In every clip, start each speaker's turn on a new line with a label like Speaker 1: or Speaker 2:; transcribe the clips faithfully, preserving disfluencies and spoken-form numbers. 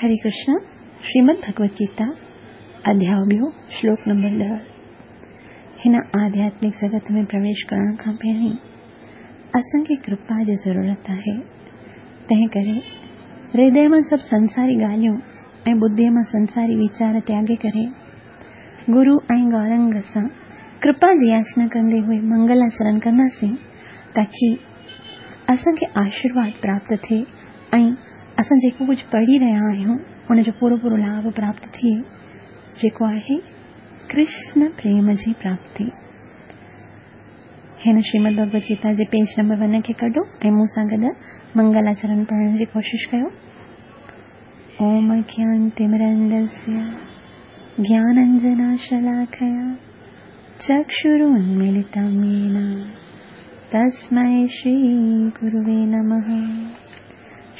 Speaker 1: हरे कृष्ण। श्रीमद् भगवत गीता अध्याय ॿियो श्लोक नंबर ॾह। हिन आध्यात्मिक जगत में प्रवेश करण खां पहिरीं असांखे कृपा जी ज़रूरत आहे। तंहिं करे हृदय मां सभु संसारी ॻाल्हियूं ऐं बुद्धीअ मां संसारी वीचार त्यागे करे गुरू ऐं गौरंग सां कृपा जी याचना कंदे हुए मंगलाचरण कंदासीं ताकी असांखे आशीर्वाद प्राप्त थिए ऐं असां जेको कुझु पढ़ी रहिया आहियूं उनजो पूरो पूरो लाभ प्राप्त थिए, जेको आहे कृष्ण प्रेम जी प्राप्ति। हिन श्रीमद् भगवत गीता जे पेज नंबर वन खे कढो ऐं मूं सां गॾु मंगलाचरण पढ़ण जी कोशिश कयो। ओम अज्ञानतिमिरन्धस्य ज्ञानाञ्जनशलाकया चक्षुरुन्मीलितं येन तस्मै श्रीगुरुवे नमः।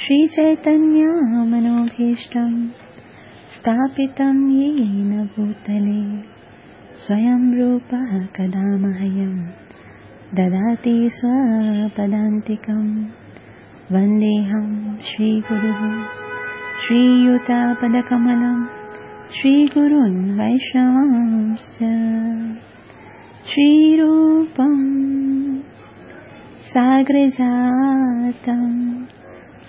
Speaker 1: श्रीचैतन्य मनोभीष्टं स्थापितं येन भूतले स्वयं रूपः कदा मह्यं ददाति स्वपदान्तिकं। वन्देऽहं श्रीगुरुः श्रीयुतपदकमलं श्रीगुरून् वैष्णवांश्च। श्रीरूपं साग्रजातं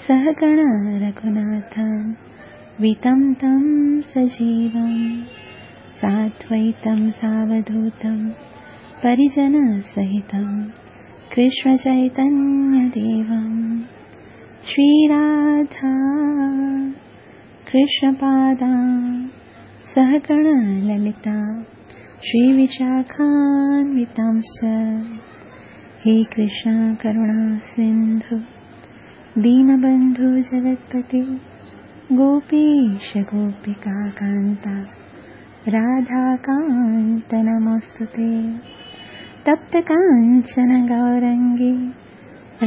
Speaker 1: सहगण रघुनाथं वितं तं सजीवं साद्वैतं सावधूतं परिजनसहितं कृष्णचैतन्यदेवं। श्रीराधा कृष्णपादा सहगण ललिता श्रीविशाखान्वितांश्च। हे कृष्ण करुणा सिन्धु दीनबन्धु जगत्पते गोपीश गोपिका कान्ता राधाकान्त नमोऽस्तुते। तप्त काञ्चन गौरङ्गी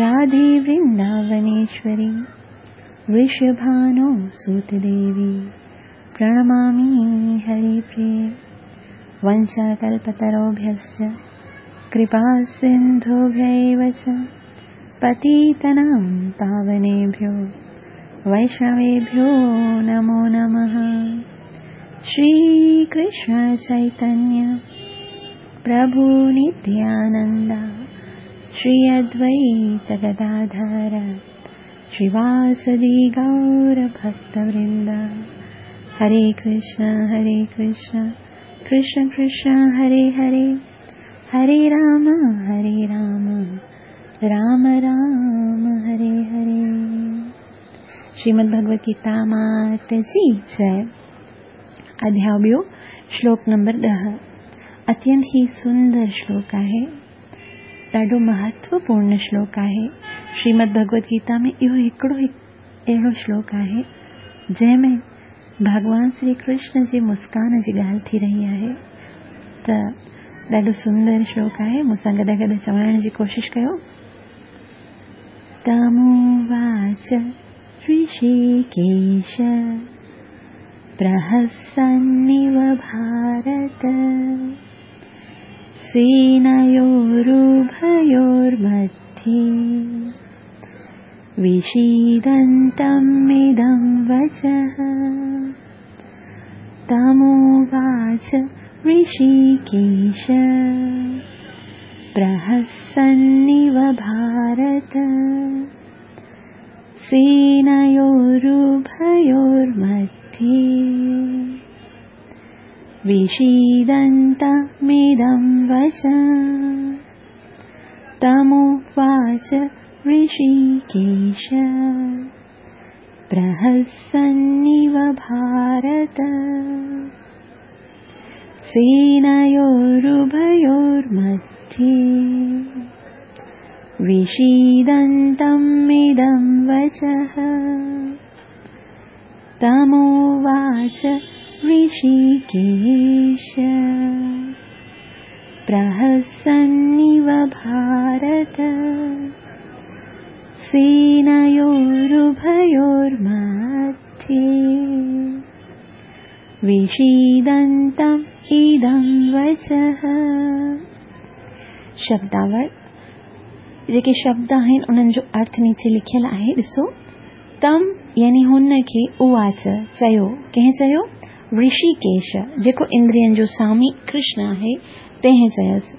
Speaker 1: राधे वृन्दावनेश्वरी वृषभानो सुतदेवी प्रणमामि हरिप्रिये। वंशाकल्पतरुभ्यश्च कृपा सिन्धुभ्यैव च पतितानां पावनेभ्यो वैष्णवेभ्यो नमो नमः। श्री कृष्ण चैतन्य प्रभु नित्यानंद श्री अद्वैत गदाधर श्रीवासदि गौर भक्तवृंद। हरे कृष्ण हरे कृष्ण कृष्ण कृष्ण हरे हरे, हरे राम हरे राम राम राम हरे हरे। श्रीमद् भगवत गीता मात जी जय। अध्याय ॿियो श्लोक नंबर ॾह। अत्यंत ही सुंदर श्लोक आहे, ॾाढो महत्वपूर्ण श्लोक आहे। श्रीमद् भगवत गीता में इहो हिकिड़ो अहिड़ो श्लोक आहे जंहिं में भॻवान श्री कृष्ण जी मुस्कान जी ॻाल्हि थी रही आहे। त ॾाढो सुंदर श्लोक आहे, मूंसां गॾु गॾु चवण जी कोशिश कयो। तमुवाच ऋषिकेश प्रहसन्निव भारत सेनयोरुभयोर्मध्ये विषीदन्तमिदं वचः। तमुवाच ऋषिकेश प्रहसन्निव भारत सेनयोरुभयोर्मध्ये विषीदन्तमिदं वचः। तमुवाच ऋषिकेश प्रहसन्निव भारत सेनयोरुभयोर्मध्ये विषीदन्तमिदं वचः। तमुवाच ऋषिकेश प्रहसन्निव भारत सेनयोरुभयोर्मध्ये विषीदन्तम् इदं वचः। शब्दावल जेके शब्द आहिनि उन्हनि जो अर्थ नीचे लिखियलु आहे, ॾिसो। तम يعني हुन खे उवाच चयो। कंहिं चयो? ऋषिकेश, जेको इंद्रियनि जो स्वामी कृष्ण आहे, तंहिं चयसि।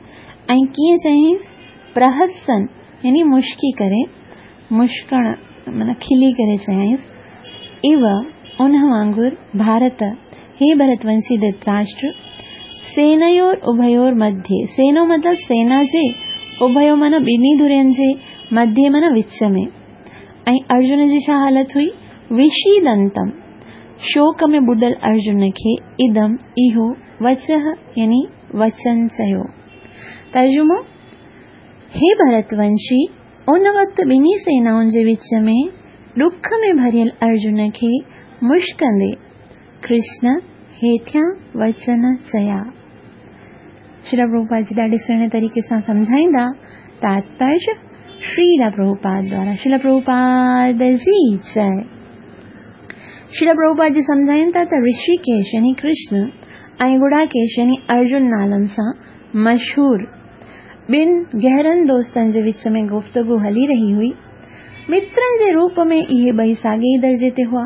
Speaker 1: ऐं कीअं चयईंसि? प्रहसन यानी मुश्की करे, मुश्कण माना खिली करे चयईंसि। इव उन वांगुरु भारत, हे भरतवंशी धृतराष्ट्र, सेनयोर उभयोर मध्ये, सेनो मतलब सेना जे, उभयो माना ॿिन्ही धुरियुनि जे, मध्ये माना विच में। ऐं अर्जुन जी छा हालत हुई? विषीदंतम, शोक में ॿुॾल अर्जुन खे इदम इहो वचः यानी वचन चयो। तर्जुमो, हे भरतवंशी, उन वक़्तु ॿिन्ही सेनाउनि जे विच में ॾुख में भरियल अर्जुन खे मुश्कंदे कृष्ण हेठियां वचन चया। श्रील प्रभुपाद जी ॾाढे सुहिणे तरीक़े सां सम्झाईंदा। तात्पर्य श्रील प्रभुपाद द्वारा। श्रील प्रभुपाद जी जय। श्रील प्रभुपाद जी सम्झाइनि था त ऋषिकेश यानी कृष्ण ऐं गुड़ाकेश यानी अर्जुन नालनि सां मशहूर ॿिनि गहरनि दोस्तनि जे विच में गुफ़्तगू हली रही हुई। मित्रनि जे रूप में इहे ॿई साॻे ई दर्जे ते हुआ,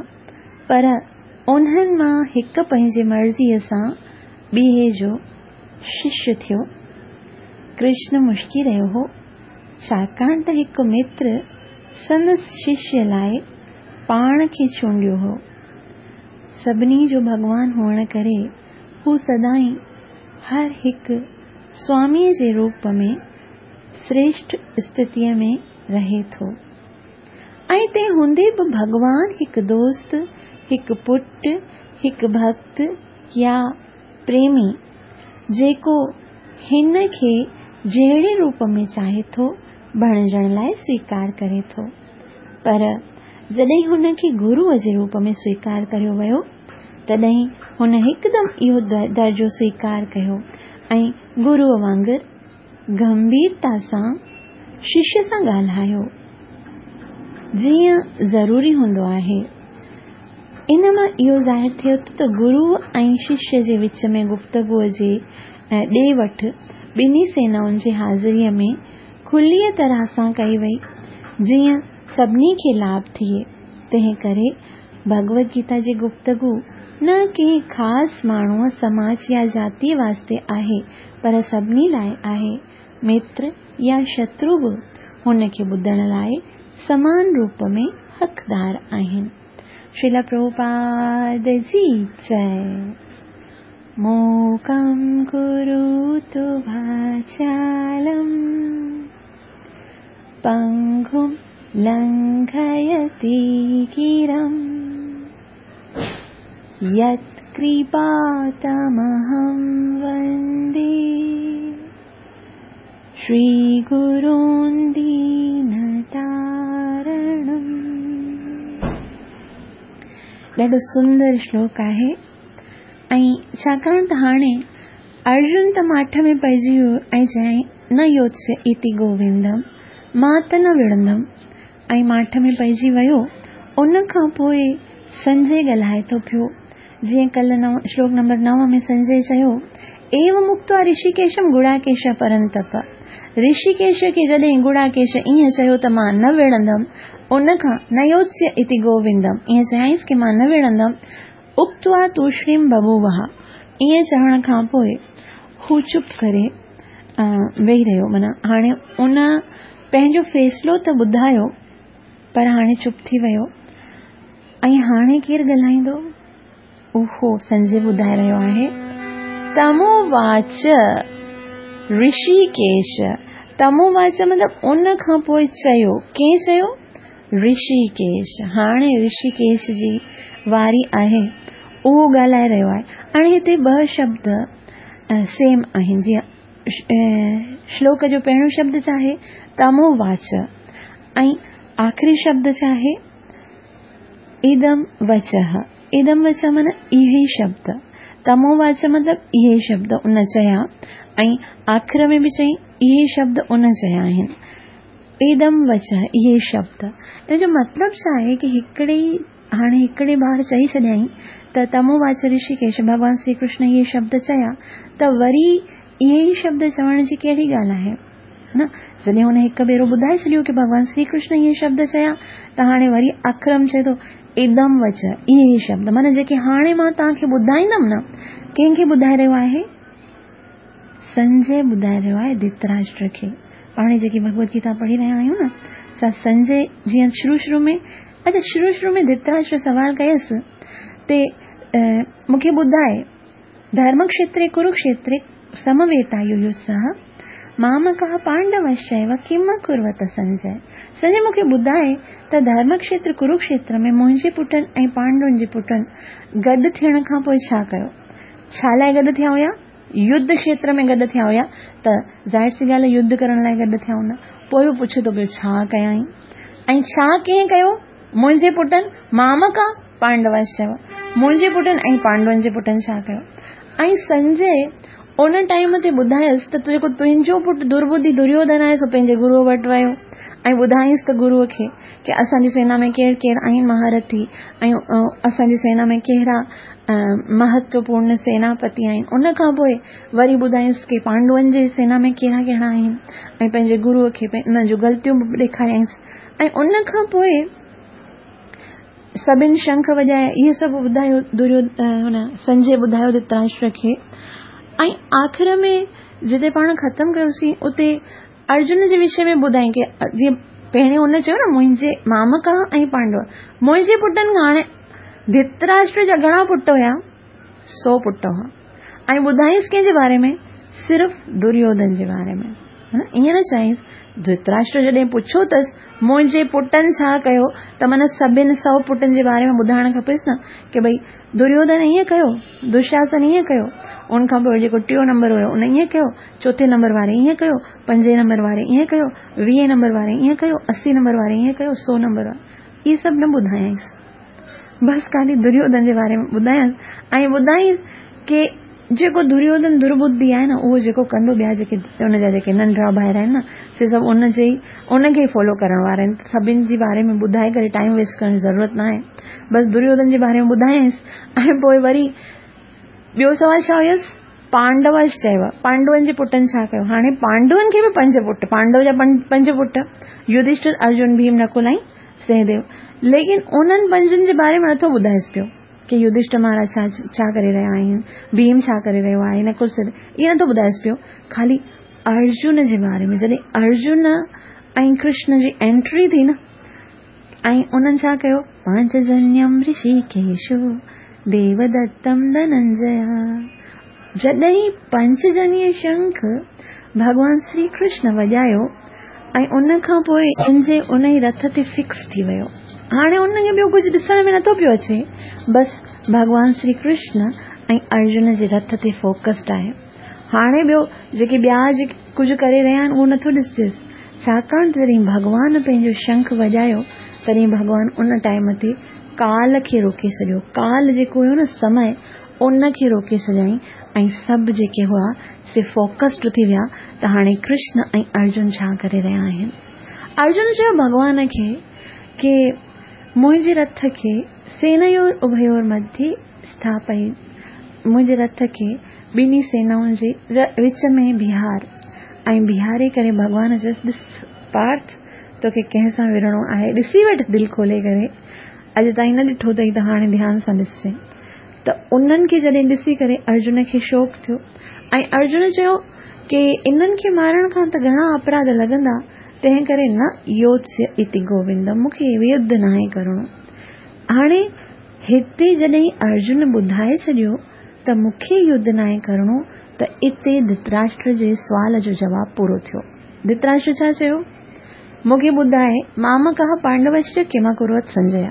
Speaker 1: पर उन्हनि मां हिकु पंहिंजी मर्ज़ीअ सां ॿिए जो शिष्य थियो। कृष्ण मुश्की रहियो हो, छाकाणि त हिकु मित्र संदसि शिष्य लाइ पाण खे चूंडियो हो। सभिनी जो भॻवान हुअण करे हू सदाईं हर हिकु स्वामीअ जे रूप में श्रेष्ठ स्थितीअ में रहे थो। ऐं तंहिं हूंदे बि भॻवान हिकु दोस्त, हिकु पुट, हिकु भक्त या प्रेमी जेको हिन खे जहिड़े रूप में चाहे थो बणिजण लाइ स्वीकार करे थो। पर जॾहिं हुन खे गुरूअ जे रूप में स्वीकार कयो वियो, तॾहिं हुन हिकदमि इहो दर्जो स्वीकार कयो ऐं गुरूअ वांगुरु गंभीरता सां शिष्य सां ॻाल्हायो, जीअं ज़रूरी हूंदो आहे। इन मां इहो ज़ाहिर थियो त गुरू ऐं शिष्य जे विच में गुफ़्तगूअ जे ॾे वठि ॿिन्ही सेनाउनि जी हाज़िरीअ में खुलीअ तरह सां कई वई, जीअं सभिनी खे लाभ थिए। तंहिं करे भगवद गीता जी गुफ़्तगू न कंहिं ख़ासि माण्हूअ, समाज या जातीअ वास्ते आहे, पर सभिनी लाइ आहे। मित्र या शत्रु बि हुन खे ॿुधण लाइ समान रूप में हक़दार आहिनि। श्रील प्रभुपाद जी जय। मूकं करोतु वाचालं पंगुं लंघयति गिरं यत्कृपातमहं वन्दे श्रीगुरुं दीनतारणम्। ॾाढो सुंदर श्लोक आहे। ऐं छाकाणि त हाणे अर्जुन त माठ में पइजी वियो ऐं चयईं न योत्स्य इति गोविंदम, मां त न विढ़ंदमि, ऐं माठ में पइजी वियो। उन खां पोइ संजय ॻाल्हाए थो पियो, जीअं कल्ह नव श्लोक नंबर नव में संजय चयो, एवं मुक्त्वा ऋषिकेशम गुड़ाकेश परंतप। ऋषिकेश खे जॾहिं गुड़ाकेश ईअं चयो त मां न विढ़ंदमि, उन खां न योत्स्य इति गोविंदम, ईअं चयाईंसि की मां न विढ़ंदमि। उक्त्वा तूष्णीं बभूवः, ईअं चवण खां पोइ हू चुप करे वेही रहियो। माना हाणे उन पंहिंजो फ़ैसिलो त ॿुधायो, पर हाणे चुप थी वियो। ऐं हाणे केरु ॻाल्हाईंदो? उहो संजय ॿुधाए रहियो आहे। तमोवाच ऋषिकेश, तमोवाच मतिलबु उन खां पोइ चयो, कंहिं चयो? ऋषिकेश। हाणे ऋषिकेश जी वारी आहे, उहो ॻाल्हाए रहियो आहे। हाणे हिते ॿ शब्द सेम आहिनि, जीअं श्लोक जो पहिरियों शब्द छा आहे? तमोवाच, ऐं आख़िरी शब्द छा आहे? इदम वचः। इदम वचः माना इहे ई शब्द, तमोवाच मतिलबु इहे ई शब्द उन चया, ऐं आख़िर में बि चई इहे शब्द उन चया आहिनि। इदम वचः इहे शब्द, इन जो मतिलबु छा आहे की हिकिड़े ई हाणे हिकिड़े बार चई छॾियईं त तमोवाच ऋषिकेश, भॻवान श्री कृष्ण इहे शब्द चया, त वरी इहे ई शब्द चवण जी कहिड़ी ॻाल्हि आहे न? जॾहिं हुन हिकु भेरो ॿुधाए छॾियो की भॻवान श्री कृष्ण इहे शब्द चया, त हाणे वरी अखरम चए थो इदम वच, इहे शब्द माना जेके हाणे मां तव्हांखे ॿुधाईंदमि न, कंहिंखे ॿुधाए रहियो आहे? संजय ॿुधाए रहियो आहे धृतराष्ट्र खे। पाण जेके भगवत गीता पढ़ी रहिया आहियूं न, सा संजय जीअं शुरू शुरू में, अच्छा शुरू शुरू में धृतराष्ट्र सवाल कयसि ते मूंखे ॿुधाए धर्मक्षेत्रे कुरुक्षेत्रे समवेतायुयुत्सः मामकः पांडवश्चैव किम कुर्वत संजय। संजय मूंखे ॿुधाए त धर्मक्षेत्र कुरुक्षेत्र में मुंहिंजे पुटनि ऐं पांडवनि जे पुटनि गॾु थियण खां पोइ छा कयो? छा लाइ गॾु थिया हुया? युद्ध क्षेत्र में गॾु थिया हुया, त ज़ाहिर सी ॻाल्हि युद्ध करण लाइ गॾु थिया हूंदा। पोइ बि पुछे थो पियो छा कयाई ऐं छा कंहिं कयो? मुंहिंजे पुटनि मामका पांडवश्चैव, मुंहिंजे पुटनि ऐं पांडवनि जे पुटनि छा कयो? ऐं संजय उन टाइम ते ॿुधायसि त जेको तुंहिंजो पुटु दुर्बुद्धि दुर्योधन आहे सो पंहिंजे गुरूअ वटि वियो ऐं ॿुधाईंसि त गुरूअ खे की असांजी सेना में केरु केरु आहिनि महारथी ऐं असांजी सेना में कहिड़ा महत्वपूर्ण सेनापति आहिनि। उन खां पोइ वरी ॿुधाईंसि की पांडवनि जे सेना में कहिड़ा कहिड़ा आहिनि ऐं पंहिंजे गुरूअ खे उन जूं ग़लतियूं बि ॾेखारियाईंसि। ऐं उन खां पोइ सभिनि शंख वॼाए इहो सभु ॿुधायो दुर्यो हुन संजय ॿुधायो धृतराष्ट्र खे। ऐं आख़िर में जिते पाण ख़तमु कयोसीं उते अर्जुन जे विषय में ॿुधाई की जीअं पहिरियों हुन चयो न मुंहिंजे मामका ऐं पांडव, मुंहिंजे पुटनि खां हाणे धृतराष्ट्र जा घणा पुट हुया? सौ पुट हुआ। ऐं ॿुधाईंसि कंहिंजे बारे में? सिर्फ़ दुर्योधन जे बारे में, है न? ईअं न चयईंसि। धृतराष्ट्र जॾहिं पुछियो अथसि मुंहिंजे पुटनि छा कयो, त माना सभिनि सौ पुटनि जे बारे में ॿुधाइणु खपेसि न की भई दुर्योधन ईअं कयो, दुशासन ईअं कयो, उन खां पोइ जेको टियों नंबर हुयो उन ईअं कयो, चोथे नंबर वारे ईअं कयो, पंजे नंबर वारे ईअं कयो, वीह नंबर वारे ईअं कयो, असी नंबर वारे ईअं कयो, सौ नंबर वारे, इहे सभु न ॿुधायाईंसि। बसि ख़ाली दुर्योधन जे बारे में ॿुधायाईंसि ऐं ॿुधाईंसि की जेको दुर्योधन दुर्बुद्धि आहे न उहो जेको कंदो, ॿिया जेके उनजा जेके नंढा ॿाहिरि आहिनि न से सभु उनजे ई उनखे ई फॉलो करण वारा आहिनि। सभिनि जे बारे में ॿुधाए करे टाइम वेस्ट करण जी ज़रूरत न आहे। बसि दुर्योधन जे बारे में ॿुधायाईंसि। ऐं पोइ वरी ॿियो सवाल छा हुयुसि? पांडवश्चैव, पांडवनि जे पुटनि छा कयो? हाणे पांडवनि खे बि पंज पुट, पांडव जा पंज पुट युधिष्ठिर, अर्जुन, भीम, नकुल ऐं सहदेव। लेकिन उन्हनि पंजनि जे बारे में नथो ॿुधाएसि पियो की युधिष्ठिर महाराज छा छा करे रहिया आहिनि, भीम छा करे रहियो आहे, नकुल सहदेव, इहो नथो ॿुधाएसि पियो। ख़ाली अर्जुन जे बारे में जॾहिं अर्जुन ऐं कृष्ण जी एंट्री थी न ऐं उन्हनि छा कयो? पांचजन्यम ऋषिकेशो देवदत्तम धनंजय। जॾहिं पंचजन्य शंख भॻवान श्री कृष्ण वॼायो ऐं उन खां पोइ संजय उन ई रथ ते फिक्स थी वियो। हाणे उनखे ॿियो कुझु ॾिसण में नथो पियो अचे, बसि भॻवान श्री कृष्ण ऐं अर्जुन जे रथ ते फोकस्ड आहे। हाणे ॿियो जेके ॿिया जेके कुझु करे रहिया आहिनि उहो नथो ॾिसजेसि, छाकाणि त जॾहिं भॻवान पंहिंजो शंख वॼायो तॾहिं भॻवान उन टाइम ते काल खे रोके छॾियो। काल जेको हुयो न समय, उनखे रोके छॾियईं ऐं सभु जेके हुआ से फोकस्ड थी विया त हाणे कृष्ण ऐं अर्जुन छा करे रहिया आहिनि। अर्जुन चयो भॻवान खे की मुंहिंजे रथ खे सेनयोर उभयोर मध्ये स्थापय, मुंहिंजे रथ खे ॿिन्ही सेनाउनि जे विच में बीहार। ऐं बीहारे करे भॻवान चयसि ॾिस पार्थ, तोखे कंहिं सां विढ़णो आहे, ॾिसी वठि दिलि खोले करे, अॼु ताईं न ॾिठो अथई त हाणे ध्यान सां ॾिसजे। त उन्हनि खे जॾहिं ॾिसी करे अर्जुन खे शौक़ु थियो ऐं अर्जुन चयो की इन्हनि खे मारण खां त घणा अपराध लॻंदा, तंहिं करे न योत्स्य इति गोविंद, मूंखे युद्ध नाहे करिणो। हाणे हिते जॾहिं अर्जुन ॿुधाए छॾियो त मूंखे युद्ध नाहे करिणो, त इते धृतराष्ट्र जे सुवाल जो जवाबु पूरो थियो। धृतराष्ट्र छा चयो? मूंखे ॿुधाए मामकः पांडवश्च किम कुर्वत संजय,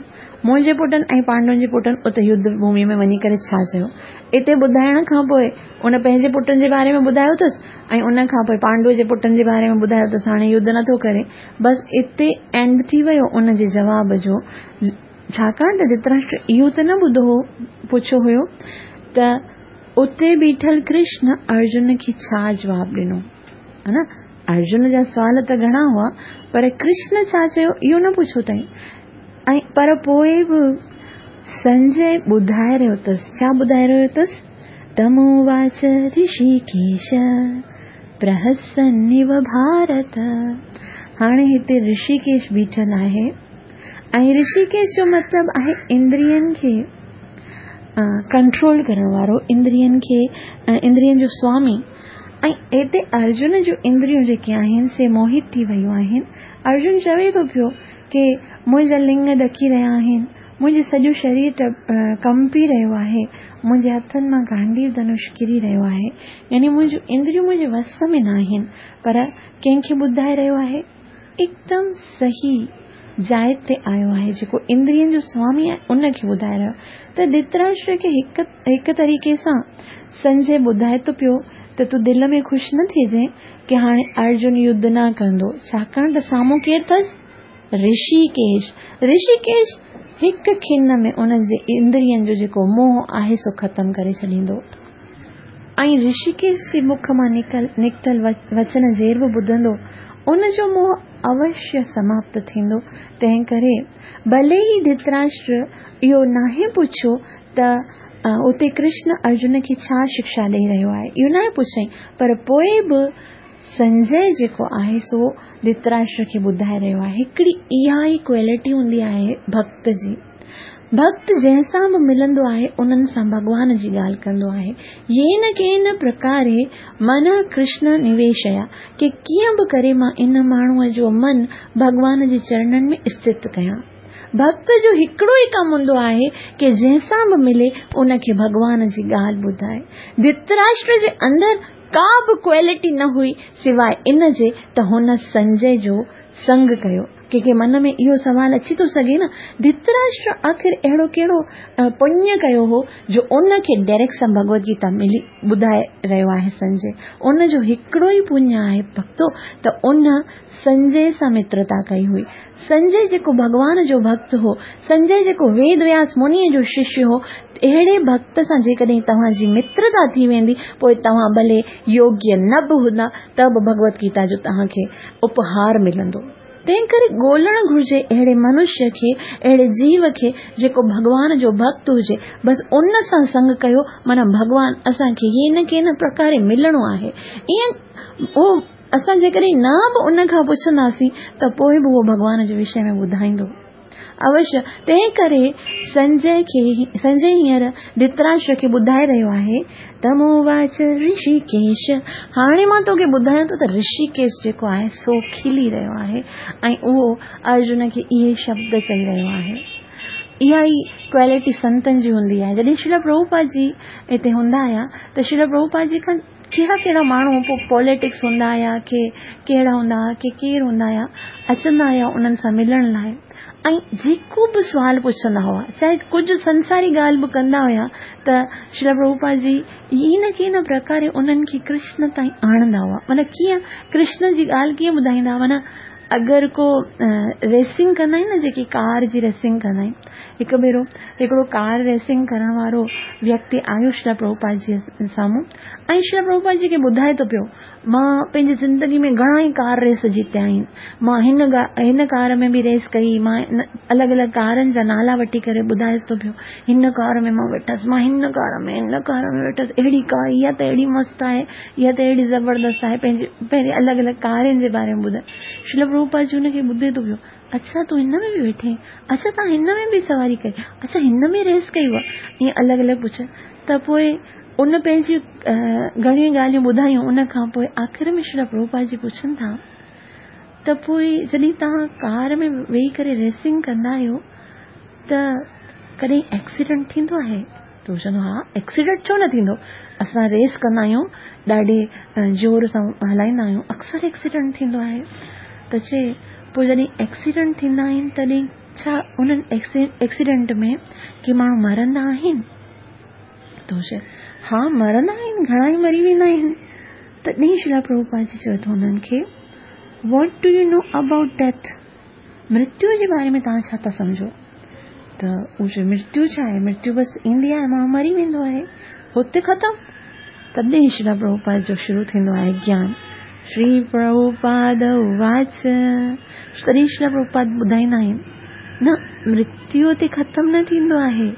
Speaker 1: मुंहिंजे पुटनि ऐं पांडवनि जे पुटनि उते युद्ध भूमि में वञी करे छा चयो? इते ॿुधाइण खां पोइ उन पंहिंजे पुटनि जे बारे में ॿुधायो अथसि ऐं उन खां पोइ पांडव जे पुटनि जे बारे में ॿुधायो अथसि, हाणे युद्ध नथो करे। बसि इते एंड थी वियो उन जे जवाब जो। छाकाणि त धृतराष्ट्र इहो त न ॿुधो हो, पुछियो हुयो त उते बीठल कृष्ण अर्जुन खे छा जवाबु ॾिनो, है न? अर्जुन जा सवाल त घणा हुआ पर कृष्ण छा चयो इहो न पुछियो अथई। ऐं पर पोइ बि संजय ॿुधाए रहियो अथसि। छा ॿुधाए रहियो अथसि? तमोवाच ऋषिकेश प्रहसन्निव भारत। हाणे हिते ऋषिकेश बीठल आहे ऐं ऋषिकेश जो मतिलबु आहे इंद्रियनि खे कंट्रोल करण वारो, इंद्रियनि खे, इंद्रियनि जो स्वामी। ऐं हिते अर्जुन जूं इंद्रियूं जेके आहिनि से मोहित थी वयूं आहिनि। अर्जुन चवे थो पियो की मुंहिंजा लिंग ॾकी रहिया आहिनि, मुंहिंजो सॼो शरीर कंपी रहियो आहे, मुंहिंजे हथनि मां गांडीव धनुष किरी रहियो आहे, यानी मुंहिंजूं इंद्रियूं मुंहिंजे वस में न आहिनि। पर कंहिंखे ॿुधाए रहियो आहे? एकदम सही जाइ ते आयो आहे, जेको इंद्रियनि जो स्वामी आहे उनखे ॿुधाए रहियो। त धृतराष्ट्र खे हिकु हिकु तरीक़े सां संजय ॿुधाए थो पियो त तूं दिलि में ख़ुशि न थिजे की हाणे अर्जुन युद्ध न कंदो, छाकाणि त साम्हूं केरु अथसि? ऋषिकेश। ऋषिकेश हिकु खिन में उन जे इंद्रियनि जो जेको मोह आहे सो ख़तमु करे छॾींदो। ऐं ऋषिकेश जे मुख मां निकल निकितल वचन जेर बि ॿुधंदो उन जो मोह अवश्य समाप्त थींदो। तंहिं करे भले ई धृतराष्ट्र इहो नाहे पुछियो त उते कृष्ण अर्जुन खे छा शिक्षा ॾेई रहियो आहे, इहो नाहे पुछई, पर पोइ बि संजय जेको आहे सो धृतराष्ट्र खे ॿुधाए रहियो आहे। हिकिड़ी इहा ई क्वालिटी हूंदी आहे भक्त जी। भक्त जंहिंसां बि मिलंदो आहे उन्हनि सां भॻवान जी ॻाल्हि कंदो आहे। येन केन प्रकारे मन कृष्ण निवेशया, की कीअं बि करे मां इन माण्हूअ जो मन भॻवान जे चरणनि में स्थित कयां। भक्त जो हिकिड़ो ई कमु हूंदो आहे की जंहिंसां बि मिले उनखे भॻवान जी ॻाल्हि ॿुधाए। धृतराष्ट्र जे अंदरि का बि क्वालिटी न हुई सिवाय इन जे त हुन संजय जो संग कयो। कंहिंखे मन में इहो सवाल अची थो सघे न, धृतराष्ट्र आख़िर अहिड़ो कहिड़ो पुण्य कयो हो जो उनखे डायरेक्ट सां भगवत गीता मिली ॿुधाए रहियो आहे संजय। उन जो हिकिड़ो ई पुण्य आहे भक्तो त उन संजय सां मित्रता कई हुई। संजय जेको भॻवान जो भक्त हो, संजय जेको वेद व्यास मुनीअ जो शिष्य हो, अहिड़े भक्त सां जेकॾहिं तव्हांजी मित्रता थी वेंदी पोइ तव्हां भले योग्य न बि हूंदा त बि भगवत गीता जो तव्हांखे उपहार मिलंदो। तंहिं करे ॻोल्हणु घुर्जे अहिड़े मनुष्य खे, अहिड़े जीव खे जेको भॻवान जो भक्त हुजे, बसि उन सां संग कयो, माना भॻवान असांखे येन केन प्रकारे मिलणो आहे। ईअं उहो असां जेकॾहिं न बि उन खां पुछंदासीं त पोइ बि उहो भॻवान जे विषय में ॿुधाईंदो अवश्य। तंहिं करे संजय खे संजय हींअर धृतराष्ट्र खे ॿुधाए रहियो आहे तमोवाच ऋषिकेश। हाणे मां तोखे ॿुधायां थो त ऋषिकेश जेको आहे सो खिली रहियो आहे ऐं उहो अर्जुन खे इहे शब्द चई रहियो आहे। इहा ई क्वालिटी संतनि जी हूंदी आहे। जॾहिं श्रील प्रभुपाद जी हिते हूंदा हुआ त श्रील प्रभुपाद जी खां कहिड़ा कहिड़ा माण्हू पोइ पॉलिटिक्स हूंदा हुआ, के कहिड़ा हूंदा हुआ, के केरु हूंदा हुआ, अचंदा हुआ उन्हनि सां मिलण लाइ ऐं जेको बि सुवाल पुछंदा हुआ, चाहे कुझु संसारी ॻाल्हि बि कंदा हुआ त श्रील प्रभुपाद जी इन केन प्रकारे उन्हनि खे कृष्ण ताईं आणंदा हुआ। माना कीअं कृष्ण जी ॻाल्हि कीअं ॿुधाईंदा हुआ, माना अगरि को रेसिंग कंदा आहिनि न, जेके कार जी रेसिंग कंदा आहिनि, हिकु भेरो हिकिड़ो कार रेसिंग करण वारो व्यक्ति आयो श्रील प्रभुपाद जी साम्हूं ऐं श्रील प्रभुपाद जी खे ॿुधाए थो पियो, मां पंहिंजी ज़िंदगी में घणा ई कार रेस जीतिया आहिनि, मां हिन हिन कार में बि रेस कई, मां अलॻि अलॻि कारनि जा नाला वठी करे ॿुधाएसि थो पियो, हिन कार में मां वेठसि, मां हिन कार में हिन कार में वेठसि, अहिड़ी कार इहा त अहिड़ी मस्तु आहे, इहा त अहिड़ी ज़बरदस्त आहे, पंहिंजी पंहिंजी अलॻि अलॻि कारनि जे बारे में ॿुधाए। श्रील प्रभुपाद जी हुनखे ॿुधे थो पियो, अच्छा तूं हिन में बि वेठे, अच्छा तव्हां हिन में बि सवारी कई, अच्छा हिन में रेस कई हुआ, ईअं अलॻि अलॻि पुछे। त पोइ उन पंहिंजी घणियूं ॻाल्हियूं ॿुधायूं। उन खां पोइ आख़िर में श्रील प्रभुपाद जी पुछनि था त पोइ जॾहिं तव्हां कार में वेही करे रेसिंग कंदा आहियो त कॾहिं एक्सीडेंट थींदो आहे? त चवंदो हा, एक्सीडेंट छो न थींदो, असां रेस कंदा आहियूं, ॾाढे ज़ोर सां हलाईंदा आहियूं, अक्सर एक्सीडेंट थींदो आहे। त चए पोइ जॾहिं एक्सीडेंट थींदा आहिनि तॾहिं छा उन्हनि एक्सीडेंट में के माण्हू मरंदा आहिनि? त चए हा मरंदा आहिनि, घणा ई मरी वेंदा आहिनि। तॾहिं श्रील प्रभुपाद जी चए थो हुननि खे, what do you know about death, मृत्यु जे बारे में तव्हां छा था सम्झो? त उहो चए मृत्यु छा आहे, मृत्यु बसि ईंदी आहे, माण्हू मरी वेंदो आहे, हुते ख़तमु। तॾहिं श्रील प्रभुपाद जो शुरू थींदो आहे ज्ञान। श्री प्रभुपाद उवाच, तॾहिं श्रील प्रभुपाद ॿुधाईंदा आहिनि न, मृत्यु ते ख़तमु न थींदो आहे,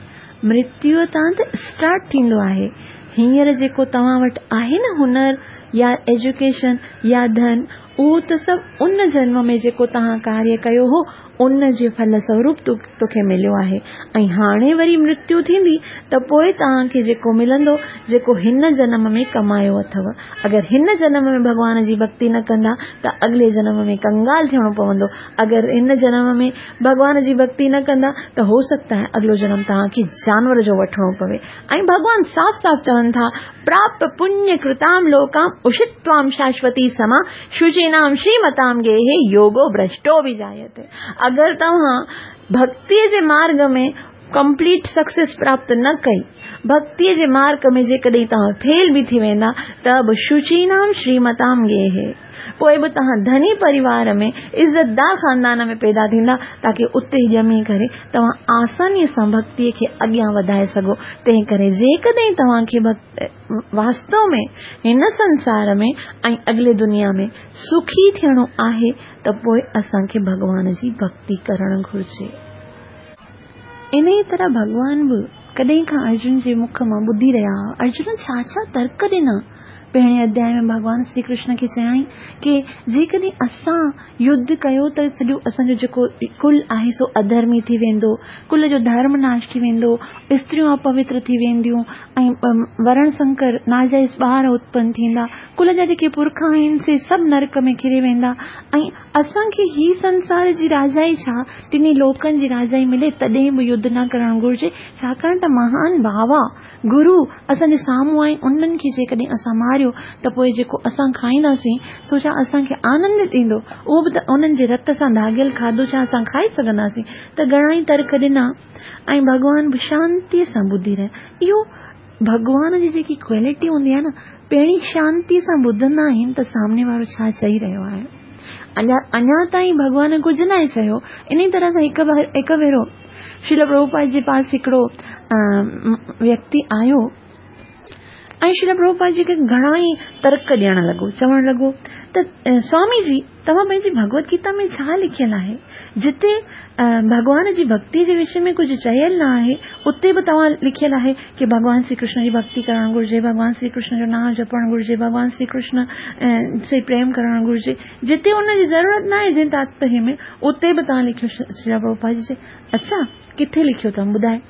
Speaker 1: मृत्यु तां त स्टार्ट थींदो आहे। हींअर जेको तव्हां वटि आहे न हुनर या एजुकेशन या धन, उहो त सभु उन जन्म में जेको तव्हां कार्य कयो हो ان جي ڦل سوروپ توکي مليو آهي. ۽ هاڻي وري مرتيو ٿيندي ته پوءِ توهان کي جيڪو ملندو جيڪو هن جنم ۾ ڪمايو اٿو. اگر هن جنم ۾ ڀڳوان جي ڀڪتي نه ڪندا ته اڳلي جنم ۾ ڪنگال ٿيڻو پوندو. اگر هن جنم ۾ ڀڳوان جي ڀڪتي نه ڪندا ته هو سگهتا آهي اڳلو جنم توهان کي جانور جو وٺڻو پوي. ۽ ڀڳوان صاف صاف چون ٿا، پراپت پڃ ڪرتام لوڪام اشتوام شاشوتي سما شچينام شريمتام گيهي يوگو ڀرشٽو به جايتي. اگر توهان ڀڪتيءَ جي مارگ ۾ ڪمپليٽ سڪسيس پراپت نه ڪئي، ڀڪتيءَ جي مارگ ۾ جيڪڏهن توهان فيل به ٿي ويندا ته به شچينام شريمتام گيهي، پوءِ به توهان ڌني پريوار ۾ عزتدار خاندان ۾ پيدا ٿيندا، تاڪه اتي ڄمي ڪري توهان آسانيءَ سان ڀڪتيءَ کي اڳيان وڌائي سگهو. تنهن ڪري جيڪڏهن توهان کي واستو ۾ هن سنسار ۾ ۽ اڳلي دنيا ۾ سکي ٿيڻو آهي ته پوءِ اسان کي ڀڳوان جي ڀڪتي ڪرڻ گهرجي. ان ئي طرح ڀڳوان به ڪڏهن کان ارجن جي مک مان ٻڌي رهيا هئا. ارجن ڇا ڇا ترڪ ڏنا. پهرين اڌياءِ ۾ ڀڳوان شري ڪرشن کي چيائين ڪه جيڪڏهن اسان يڌ ڪيو ته سڄو اسان جو جيڪو ڪل آهي سو اڌرمي ٿي ويندو، ڪل جو ڌرم ناش ٿي ويندو، استريون اپوتر ٿي وينديون ۽ ورڻ شنڪر ناجائز ٻار اتپن ٿيندا، ڪل جا جيڪي پرک آهن سي سڀ نرڪ ۾ ڪري ويندا ۽ اسان کي هي سنسار جي راجائي ڇا ٽنهي لوڪن جي راجائي ملي تڏهن به يڌ نه ڪرڻ گهرجي، ڇاڪاڻ ته مهان ڀاوا گرو اسان جي سامهون آهن، انهن کي جيڪڏهن اسان ماريو ته پوءِ جيڪو اسان کائينداسين سو ڇا اسان کي آنند ڏيندو؟ اهو به ته انهن جي رت سان داڳيل کاڌو ڇا اسان کائي سگهنداسين؟ ته گهڻا ئي ترڪ ڏنا ۽ ڀڳوان به شانتيءَ سان ٻڌي رهيا. اهو ڀڳوان جي جيڪي ڪوالٽي هوندي آهي نه، پهرين شانتيءَ سان ٻڌندا آهن ته سامني وارو ڇا چئي رهيو آهي. اڃا اڃا تائين ڀڳوان ڪجهه نه آهي چيو. ان ئي طرح سان هڪ هڪ ڀيرو شريل پرڀوپاد جي پاس هڪڙو ويڪتي آيو ۽ شريل پرڀوپاد جي کي گهڻا ئي ترڪ ڏيڻ لڳو. چوڻ لڳو ته سوامي جي، توهان پنهنجي ڀڳوت گيتا ۾ ڇا لکيل آهي؟ جتي ڀڳوان جي ڀڪتي جي وشي ۾ ڪجهه چيل نه آهي اتي به توهان لکيل آهي ڪه ڀڳوان شري ڪرشن جي ڀڪتي ڪرڻ گهرجي، ڀڳوان شري ڪرشن جو نام جپڻ گهرجي، ڀڳوان شري ڪرشن سي پريم ڪرڻ گهرجي. جتي ان جي ضرورت نه آهي جنهن تاتپريه ۾ اتي به توهان لکيو. شريل پرڀوپاد جي چئي، اڇا ڪٿي لکيو اٿم ٻڌائي؟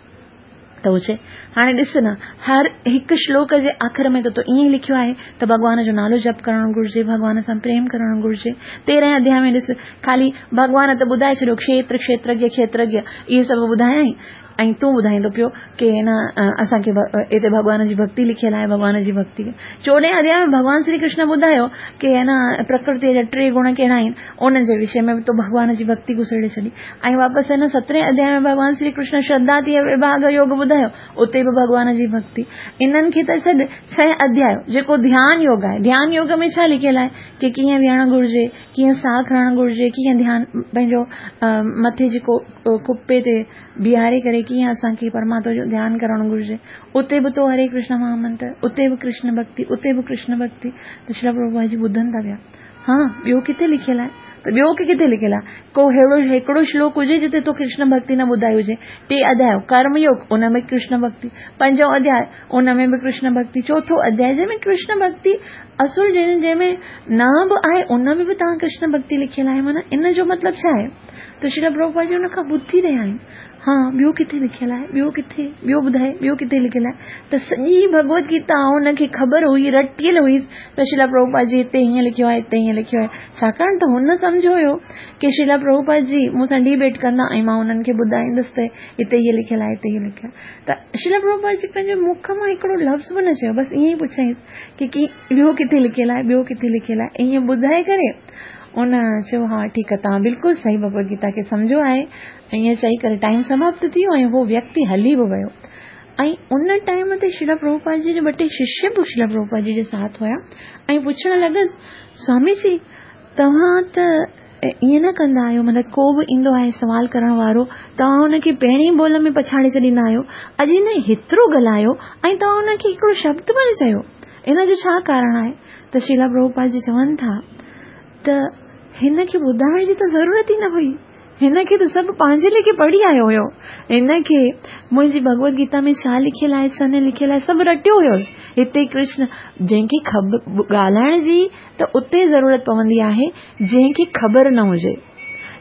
Speaker 1: ته اهو چئي، هاڻي ڏس نه، هر هڪ شلوڪ جي آخر ۾ ته تو ائين ئي لکيو آهي ته ڀڳوان جو نالو جپ ڪرڻ گهرجي، ڀڳوان سان پريم ڪرڻ گهرجي. تيرهين اڌياءِ ۾ ڏس، خالي ڀڳوان ته ٻڌائي ڇڏيو کيتر کيترگيه کيترگيه اهي سڀ ٻڌايائين ۽ تون ٻڌائيندو پيو ڪه نه اسان کي هتي ڀڳوان جي ڀڪتي لکيل آهي، ڀڳوان جي ڀڪتي. چوڏهين اڌياءِ ۾ ڀڳوان شري ڪرشن ٻڌايو ڪه نه پرڪرتيءَ جا ٽي گڻ ڪهڙا آهن، انهن جي وشي ۾ به تو ڀڳوان جي ڀڪتي گهسيڙي ڇڏي. ۽ واپس هن سترهين اڌياءِ ۾ ڀڳوان شري ڪرشن شرڌا ٿي وڀاڳ يوگ ٻڌايو، اتي به ڀڳوان جي ڀڪتي. انهن کي ته ڇڏ، ڇهين اڌياءِ جيڪو ڌيان يوگ آهي، ڌيان يوگ ۾ ڇا لکيل آهي ڪه ڪيئن ويهڻ گهرجي، ڪيئن ساهه کڻڻ گهرجي، ڪيئن ڌيان پنهنجو مٿي جيڪو ڪپي تي بيهاري ڪري ڪيئن اسان کي پرماتما جو ڌيان ڪرڻ گهرجي. اتي به تو هري ڪرشن مهامنتر، اتي به ڪرشن ڀڪتي، اتي به ڪرشن ڀڪتي. ته شريل پرڀوپاد جي ٻڌن ٿا پيا، ها ٻيو ڪٿي لکيل آهي؟ ته ٻيو ڪٿي لکيل آهي؟ ڪو اهڙو هڪڙو شلوڪ هجي جتي تو ڪرشن ڀڪتي نه ٻڌائي هجي. ٽي اڌياءِ ڪرم يوگ، ان ۾ ڪرشن ڀڪتي. پنجون اڌياءِ ان ۾ به ڪرشن ڀڪتي. چوٿون اڌياءِ جنهن ۾ ڪرشن ڀڪتي اصل جنهن جنهن ۾ نه به آهي ان ۾ به توهان ڪرشن ڀڪتي لکيل آهي. معنيٰ ان جو مطلب ڇا آهي؟ ته شريل پرڀوپاد جي هن کان ٻڌي رهيا آهن، ها ٻيو ڪٿي لکيل آهي، ٻيو ڪٿي، ٻيو ٻڌائي، ٻيو ڪٿي لکيل آهي؟ ته سڄي ڀڳوت گيتا هن کي خبر هئي، رٽيل هئي ته شريل پرڀوپاد جي هتي هيئن لکيو آهي، هتي هيئن لکيو آهي. ڇاڪاڻ ته هن سمجهيو هيو ڪه شريل پرڀوپاد جي مون سان ڊبيٽ ڪندا ۽ مان هنن کي ٻڌائيندس ته هتي هيءَ لکيل آهي، هتي هيءَ لکيل آهي. ته شريل پرڀوپاد جي پنهنجي مک مان هڪڙو لفظ به نه چيو، بس ائين ئي پڇيائينس ڪه ڪه ٻيو ڪٿي لکيل آهي، ٻيو ڪٿي لکيل آهي. ائين ٻڌائي ڪري ان چيو، ها ٺيڪ آهي، توهان بلڪل صحيح ڀڳوت گيتا کي سمجهيو آهي. ائين چئي ڪري ٽائيم سماپت ٿي ويو ۽ اهو ويڪتي هلي به ويو. ۽ ان ٽائيم تي شريل پرڀوپاد جي جا ٻه ٽي ششيه به شريل پرڀوپاد جي جي ساٿ هئا ۽ پڇڻ لڳس، سوامي جي توهان ته ائين نه ڪندا آهيو، مطلب ڪو به ايندو آهي سوال ڪرڻ وارو توهان هن کي پهرين ٻول ۾ پڇاڙي ڇڏيندا آهيو، اڄ هن هيترو ڳالهايو ۽ توهان هن کي هڪڙو شبد به نه چيو، ان جو ڇا ڪارڻ آهي؟ ته شريل پرڀوپاد جي چون ٿا ته هن کي ٻڌائڻ جي ته ضرورت ئي نه هئي، هن کي ته سڀ پنهنجي ليکي پڙهي آيو هيو، هن کي منهنجي ڀڳوت گيتا ۾ ڇا لکيل آهي ڇا نه لکيل آهي سڀ رٽيو هيس. هتي ڪرشن جنهن کي خبر ڳالهائڻ جي ته اتي ضرورت پوندي آهي جنهن کي خبر نه هجي.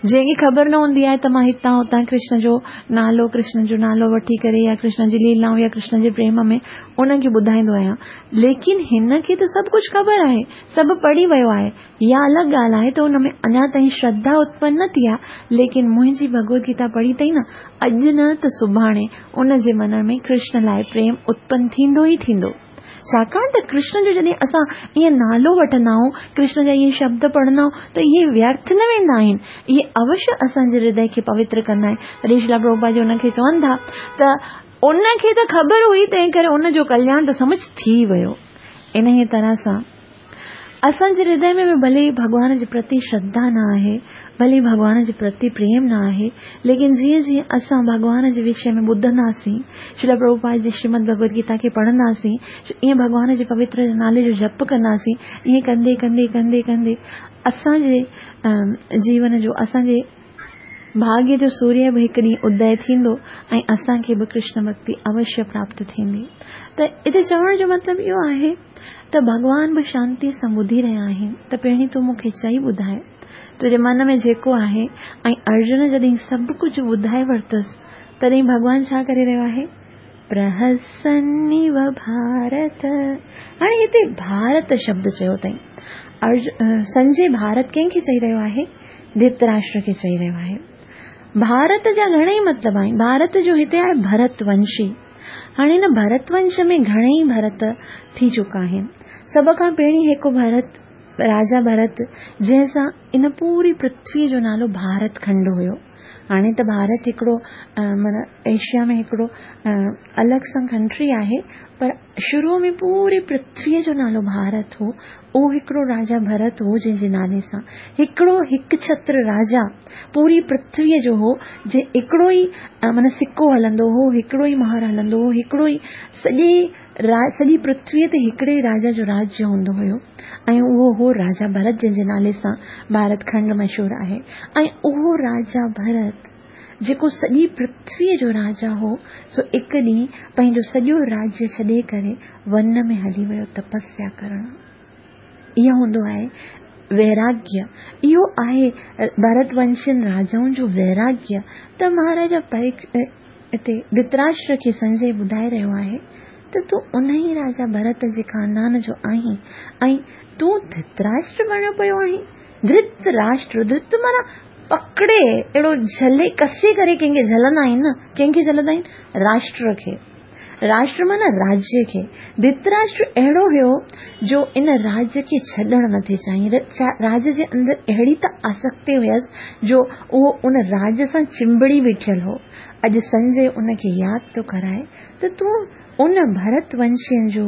Speaker 1: جنهن کي خبر نه هوندي آهي ته مان هتان هتان ڪرشن جو نالو ڪرشن جو نالو وٺي ڪري يا ڪرشن جي ليلائون يا ڪرشن جي پريم ۾ انهن کي ٻڌائيندو آهيان، ليڪن هن کي ته سڀ ڪجهه خبر آهي، سڀ پڙهي ويو آهي. اها الڳ ڳالهه آهي ته ان ۾ اڃا تائين شرڌا اتپن نه ٿي آهي، ليڪن منهنجي ڀڳوت گيتا پڙهي اٿئي نه، اڄ نه ته سڀاڻي ان جي من ۾ ڪرشن لاء پريم اتپن ٿيندو ئي ٿيندو. ڇاڪاڻ ته ڪرشن جو جڏهن اسان ائين نالو وٺندا آهيون، ڪرشن جا اهي شبد پڙهندا آهيون ته اهي ويرٿ نه ويندا آهن، اهي اوشيه اسان جي هردي کي پوتر ڪندا آهن. تڏهن شريلا پرڀوپاد جي ان کي چون ٿا ته ان کي ته خبر هئي، تنهن ڪري ان جو ڪلياڻ ته سمجهه ٿي ويو. انهيء طرح سان اسان جي هردي ۾ به ڀلي ڀڳوان جي پرتي شرڌا نه آهي، ڀلي ڀڳوان جي پرتي پريم نه آهي، ليڪن جيئن جيئن اسان ڀڳوان جي وشي ۾ ٻڌنداسين، شريلا پرڀوپاد جي شريمد ڀڳوت گيتا کي پڙهنداسين، ائين ڀڳوان جي پوتر نالي جو جپ ڪنداسين، ائين ڪندي ڪندي ڪندي ڪندي اسان جي جيون جو، اسان جي ڀاڳيه جو سوريه به هڪ ڏينهن ادي ٿيندو ۽ اسان کي به ڪرشن ڀڳتي اوشيه پراپت ٿيندي. ته هتي چوڻ جو مطلب اهو آهي ته ڀڳوان به شانتي سان ٻڌي رهيا آهن ته پهرين تون مون کي چئي ٻڌائي تنهنجي من ۾ جيڪو آهي. ۽ ارجن جڏهن سڀ ڪجهه ٻڌائي ورتس تڏهن ڀڳوان ڇا ڪري رهيو آهي؟ پرهسنيو ڀارت. هاڻي هتي ڀارت شبد چيو اٿئي. سنجي ڀارت ڪنهن کي چئي رهيو آهي؟ ڌرتراشٽر کي چئي رهيو آهي. ڀارت جا گهڻيئي مطلب آهن. ڀارت جو هتي آهي ڀرت ونشي. هاڻي هن ڀرت ونش ۾ گهڻيئي ڀرت ٿي چڪا آهن. سڀ کان پهرين هڪ ڀرت راجا ڀرت، جنهن سان ان پوري پرٿويءَ جو نالو ڀارت کنڊ هيو. هاڻي ته ڀارت هڪڙو معنيٰ ايشيا ۾ هڪڙو الڳ سان ڪنٽري آهي، پر شروع ۾ پوري پرٿويءَ جو نالو ڀارت هو. اهو هڪڙو راجا ڀرت هو جنهن جي نالي سان هڪڙو هڪ ڇتر راجا پوري پرٿويءَ جو هو، جي هڪڙو ئي معنيٰ سڪو هلندو هو، هڪڙو ئي مهر هلندو هو، هڪڙو ئي سڄي سڄي پرٿويءَ تي هڪڙي راجا جو راجيه هوندو هيو، ۽ اهو هو راجا ڀرت، جنهن جي نالي سان ڀارت کنڊ مشهور آهي. ۽ اهو راجا ڀرت جيڪو سڄي پرٿويءَ جو راجا هو، سو هڪ ڏينهن پنهنجو سڄو راجيه ڇڏي ڪري ون ۾ هلي ويو تپسيا ڪرڻ. اهو هوندو آهي ويراگيه. اهو آهي ڀرت ونشين راجائن جو ويراگيه. ته مهاراجا هتي ڌرتراشٽر کي سنجي ٻڌائي رهيو آهي ته تون ان ئي راجا ڀرت جي خاندان جو آهين ۽ تون ڌرتراشٽر بڻيو پيو آهين. ڌرتراشٽر، ڌرت معنيٰ پڪڙي، اهڙو جهلي ڪسي ڪري ڪنهن کي جهلندا آهن نه، ڪنهن کي جهلندا آهن؟ راشٽر کي. راشٽر معنيٰ راجيه کي. ڌرتراشٽر اهڙو هيو جو ان راجيه کي ڇڏڻ نٿي چاهين. راجيه جي اندر اهڙي ته آسڪتي هيس جو اهو ان راجيه سان چنبڙي بيٺل هو. اڄ سنجي ان کي ياد ٿو ڪرائي ته تون ان ڀرت ونشين جو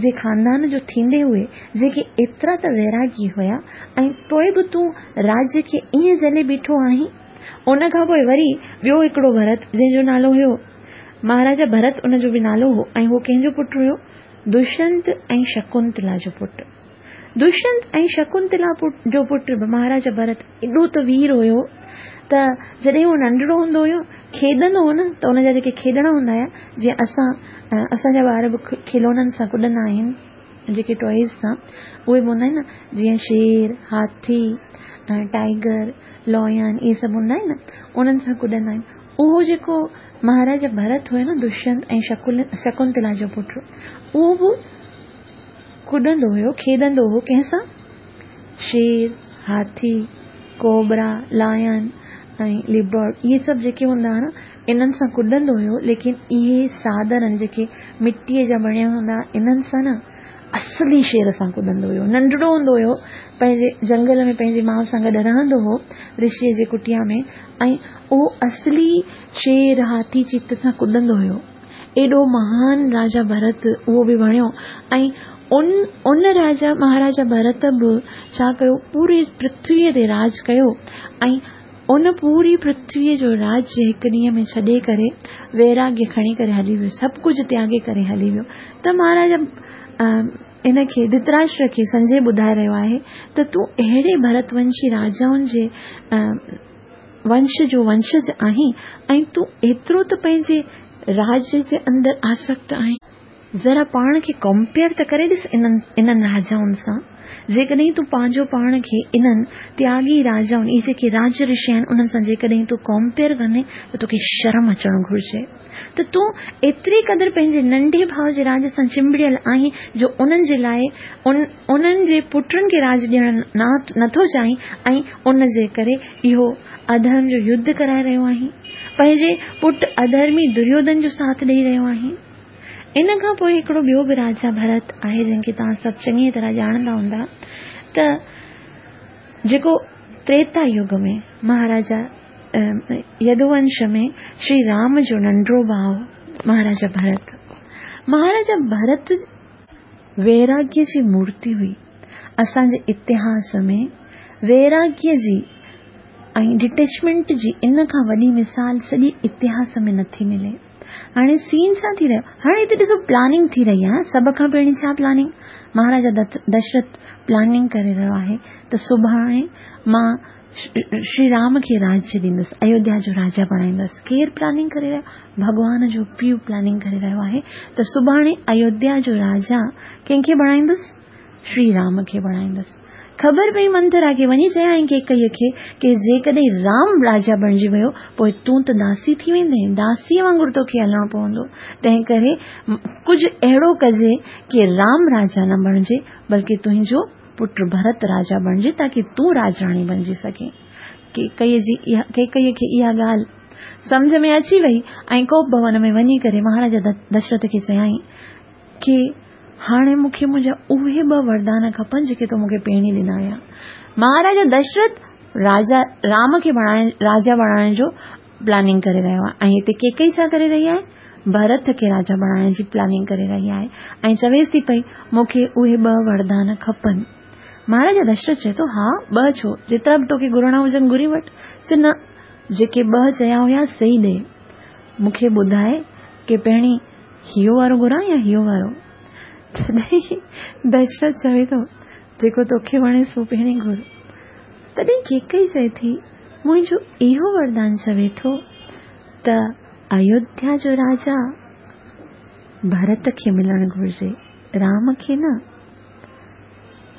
Speaker 1: جي خاندان جو ٿيندي هئي جيڪي ايترا ته ويراگي هيا، ۽ پوءِ به تون راجيه کي ائين جهلي بيٺو آهين. ان کان پوءِ وري ٻيو هڪڙو ڀرت جنهن جو نالو هيو مهاراجا ڀرت، ان جو به نالو هو، ۽ هو ڪنهن جو پٽ هيو؟ دشينت ۽ شڪنتلا جو پٽ. دشينت ۽ شڪنتلا جو پٽ مهاراجا ڀرت ايڏو ته وير هيو ته جڏهن هو ننڍڙو هوندو هيو، کيڏندو هو نه، ته ان جا جيڪي کيڏڻا هوندا هئا، جيئن اسان اسان جا ٻار به کلونن سان ڪڏندا آهن، جيڪي ٽوائز سان، اهي به هوندا آهن نه، جيئن شير، هاٿي، ٽائيگر، لائن، اهي سڀ هوندا آهن نه، انهن سان ڪڏندا آهن. اهو جيڪو مهاراجا ڀرت هيو نه، دشينت ۽ شڪنتلا جو پٽ، اهو به ڪڏندو هيو، کيڏندو هو ڪنهن سان؟ شير، هاٿي، ڪوبرا، لائن ۽ ليپرڊ، اهي سڀ جيڪي هوندا هئا نه، انهن سان ڪڏندو هيو. ليڪن اهي ساڌارڻ جيڪي مٽيءَ جا بڻيل هوندا، انهن سان نه، اصلي شير سان ڪڏندو هيو. ننڍڙو هوندو هيو، پنهنجي جنگل ۾ پنهنجي ماءُ سان گڏ رهندو هو رشيءَ جي ڪٽيا ۾، ۽ اهو اصلي شير، هاٿي، چيت سان ڪڏندو هيو. ايڏو مهان راجا ڀرت اهو به بڻيو. ۽ ان ان راجا مهاراجا ڀرت به ڇا ڪيو؟ پوري پرٿويءَ تي راڄ ڪيو، ۽ ان پوري پرٿويءَ جو راجيه هڪ ڏينهن ۾ ڇڏي ڪري ويراگيه کڻي ڪري هلي ويو، سڀ ڪجهه تياڳي ڪري هلي ويو. ته مهاراجا ان کي ڌرتراشٽر کي سنجي ٻڌائي رهيو آهي ته تون اهڙي ڀرتونشي راجائن جي ونش جو ونشج آهين ۽ تون ايترو ته پنهنجي راجيه جي اندر آسڪت آهين. ذرا پاڻ کي ڪمپيئر ته ڪري ڏس انهن انهن راجائن سان. जेकॾहिं तूं पंहिंजो पाण खे इन्हनि त्यागी राजाउनि, इहे जेके राज ऋषि आहिनि उन्हनि सां जेकॾहिं तूं कंपेयर कंदे त तोखे शर्म अचणु घुरिजे। त तूं एतिरी क़दुरु पंहिंजे नंढे भाउ जे राज सां चिंबड़ियल आहीं जो उन्हनि जे लाइ उन उन्हनि जे पुटनि खे राज ॾियणु नथो चाहीं ऐं उन जे करे इहो अधर्म जो युद्ध कराए रहियो आहीं, पंहिंजे पुट अधर्मी दुर्योधन जो साथ ॾेई रहियो आहीं। इन खां पोइ हिकिड़ो ॿियो बि राजा भरत आहे जंहिंखे तव्हां सभु चङी तरह ॼाणंदा हूंदा, त जेको त्रेता युग में महाराजा यदुवंश में श्री राम जो नंढो भाउ महाराजा भरत, महाराजा भरत वैराग्य जी मूर्ति हुई। असांजे इतिहास में वैराग्य जी ऐं डिटेचमेंट जी इन खां वॾी मिसाल सॼी इतिहास में नथी मिले। हाणे सीन छा थी रहियो, हाणे हिते ॾिसो प्लानिंग थी रही आहे। सभ खां पहिरीं छा प्लानिंग, महाराजा दशरथ प्लानिंग करे रहियो आहे त सुभाणे मां श्री राम खे राज्य ॾींदुसि, अयोध्या जो राजा बणाईंदुसि। केरु प्लानिंग करे रहियो? भॻवान जो पीउ प्लानिंग करे रहियो आहे त सुभाणे अयोध्या जो राजा कंहिंखे बणाईंदुसि? श्री राम खे बणाईंदुसि। ख़बर पई मंथरा खे, वञी चयाईं केकईअ खे की जेकॾहिं राम राजा बणिजी वियो पोइ तूं त दासी थी वेंदे, दासीअ वांगुरु तोखे हलणो पवंदो। तंहिं करे कुझु अहिड़ो कजे की राम राजा न बणिजे बल्कि तुंहिंजो पुट भरत राजा बणिजे ताकी तूं राजराणी बणिजी सघे। केकईअ जी इहा केकईअ खे इहा ॻाल्हि सम्झ में अची वई ऐं कोप भवन में वञी करे महाराजा दशरथ खे चयाईं की हाणे मूंखे मुंहिंजा उहे ॿ वरदान खपनि जेके तो मूंखे पहिरीं ॾिना हुया। महाराजा दशरथ राजा राम खे बणाए राजा बणाइण जो प्लानिंग करे रहियो आहे ऐं हिते केकई छा करे रही आहे? भरत खे राजा बणाइण जी प्लानिंग करे रही आहे ऐं चवेसि थी पई मूंखे उहे ॿ वरदान खपनि। महाराजा दशरथ चए थो हा ॿ छो, जेतिरा बि तोखे घुरणा हुजनि घुरी वठि। चए न, जेके ॿ चया हुया सही ॾे, मूंखे ॿुधाए की पहिरीं हियो वारो घुरां या हियो वारो? तॾहिं दशरथ चवे थो जेको तोखे वणे सो पहिरीं घुर। तॾहिं केकई चए थी मुंहिंजो इहो वरदान चवे थो त अयोध्या जो राजा भरत खे मिलणु घुरिजे, राम खे न।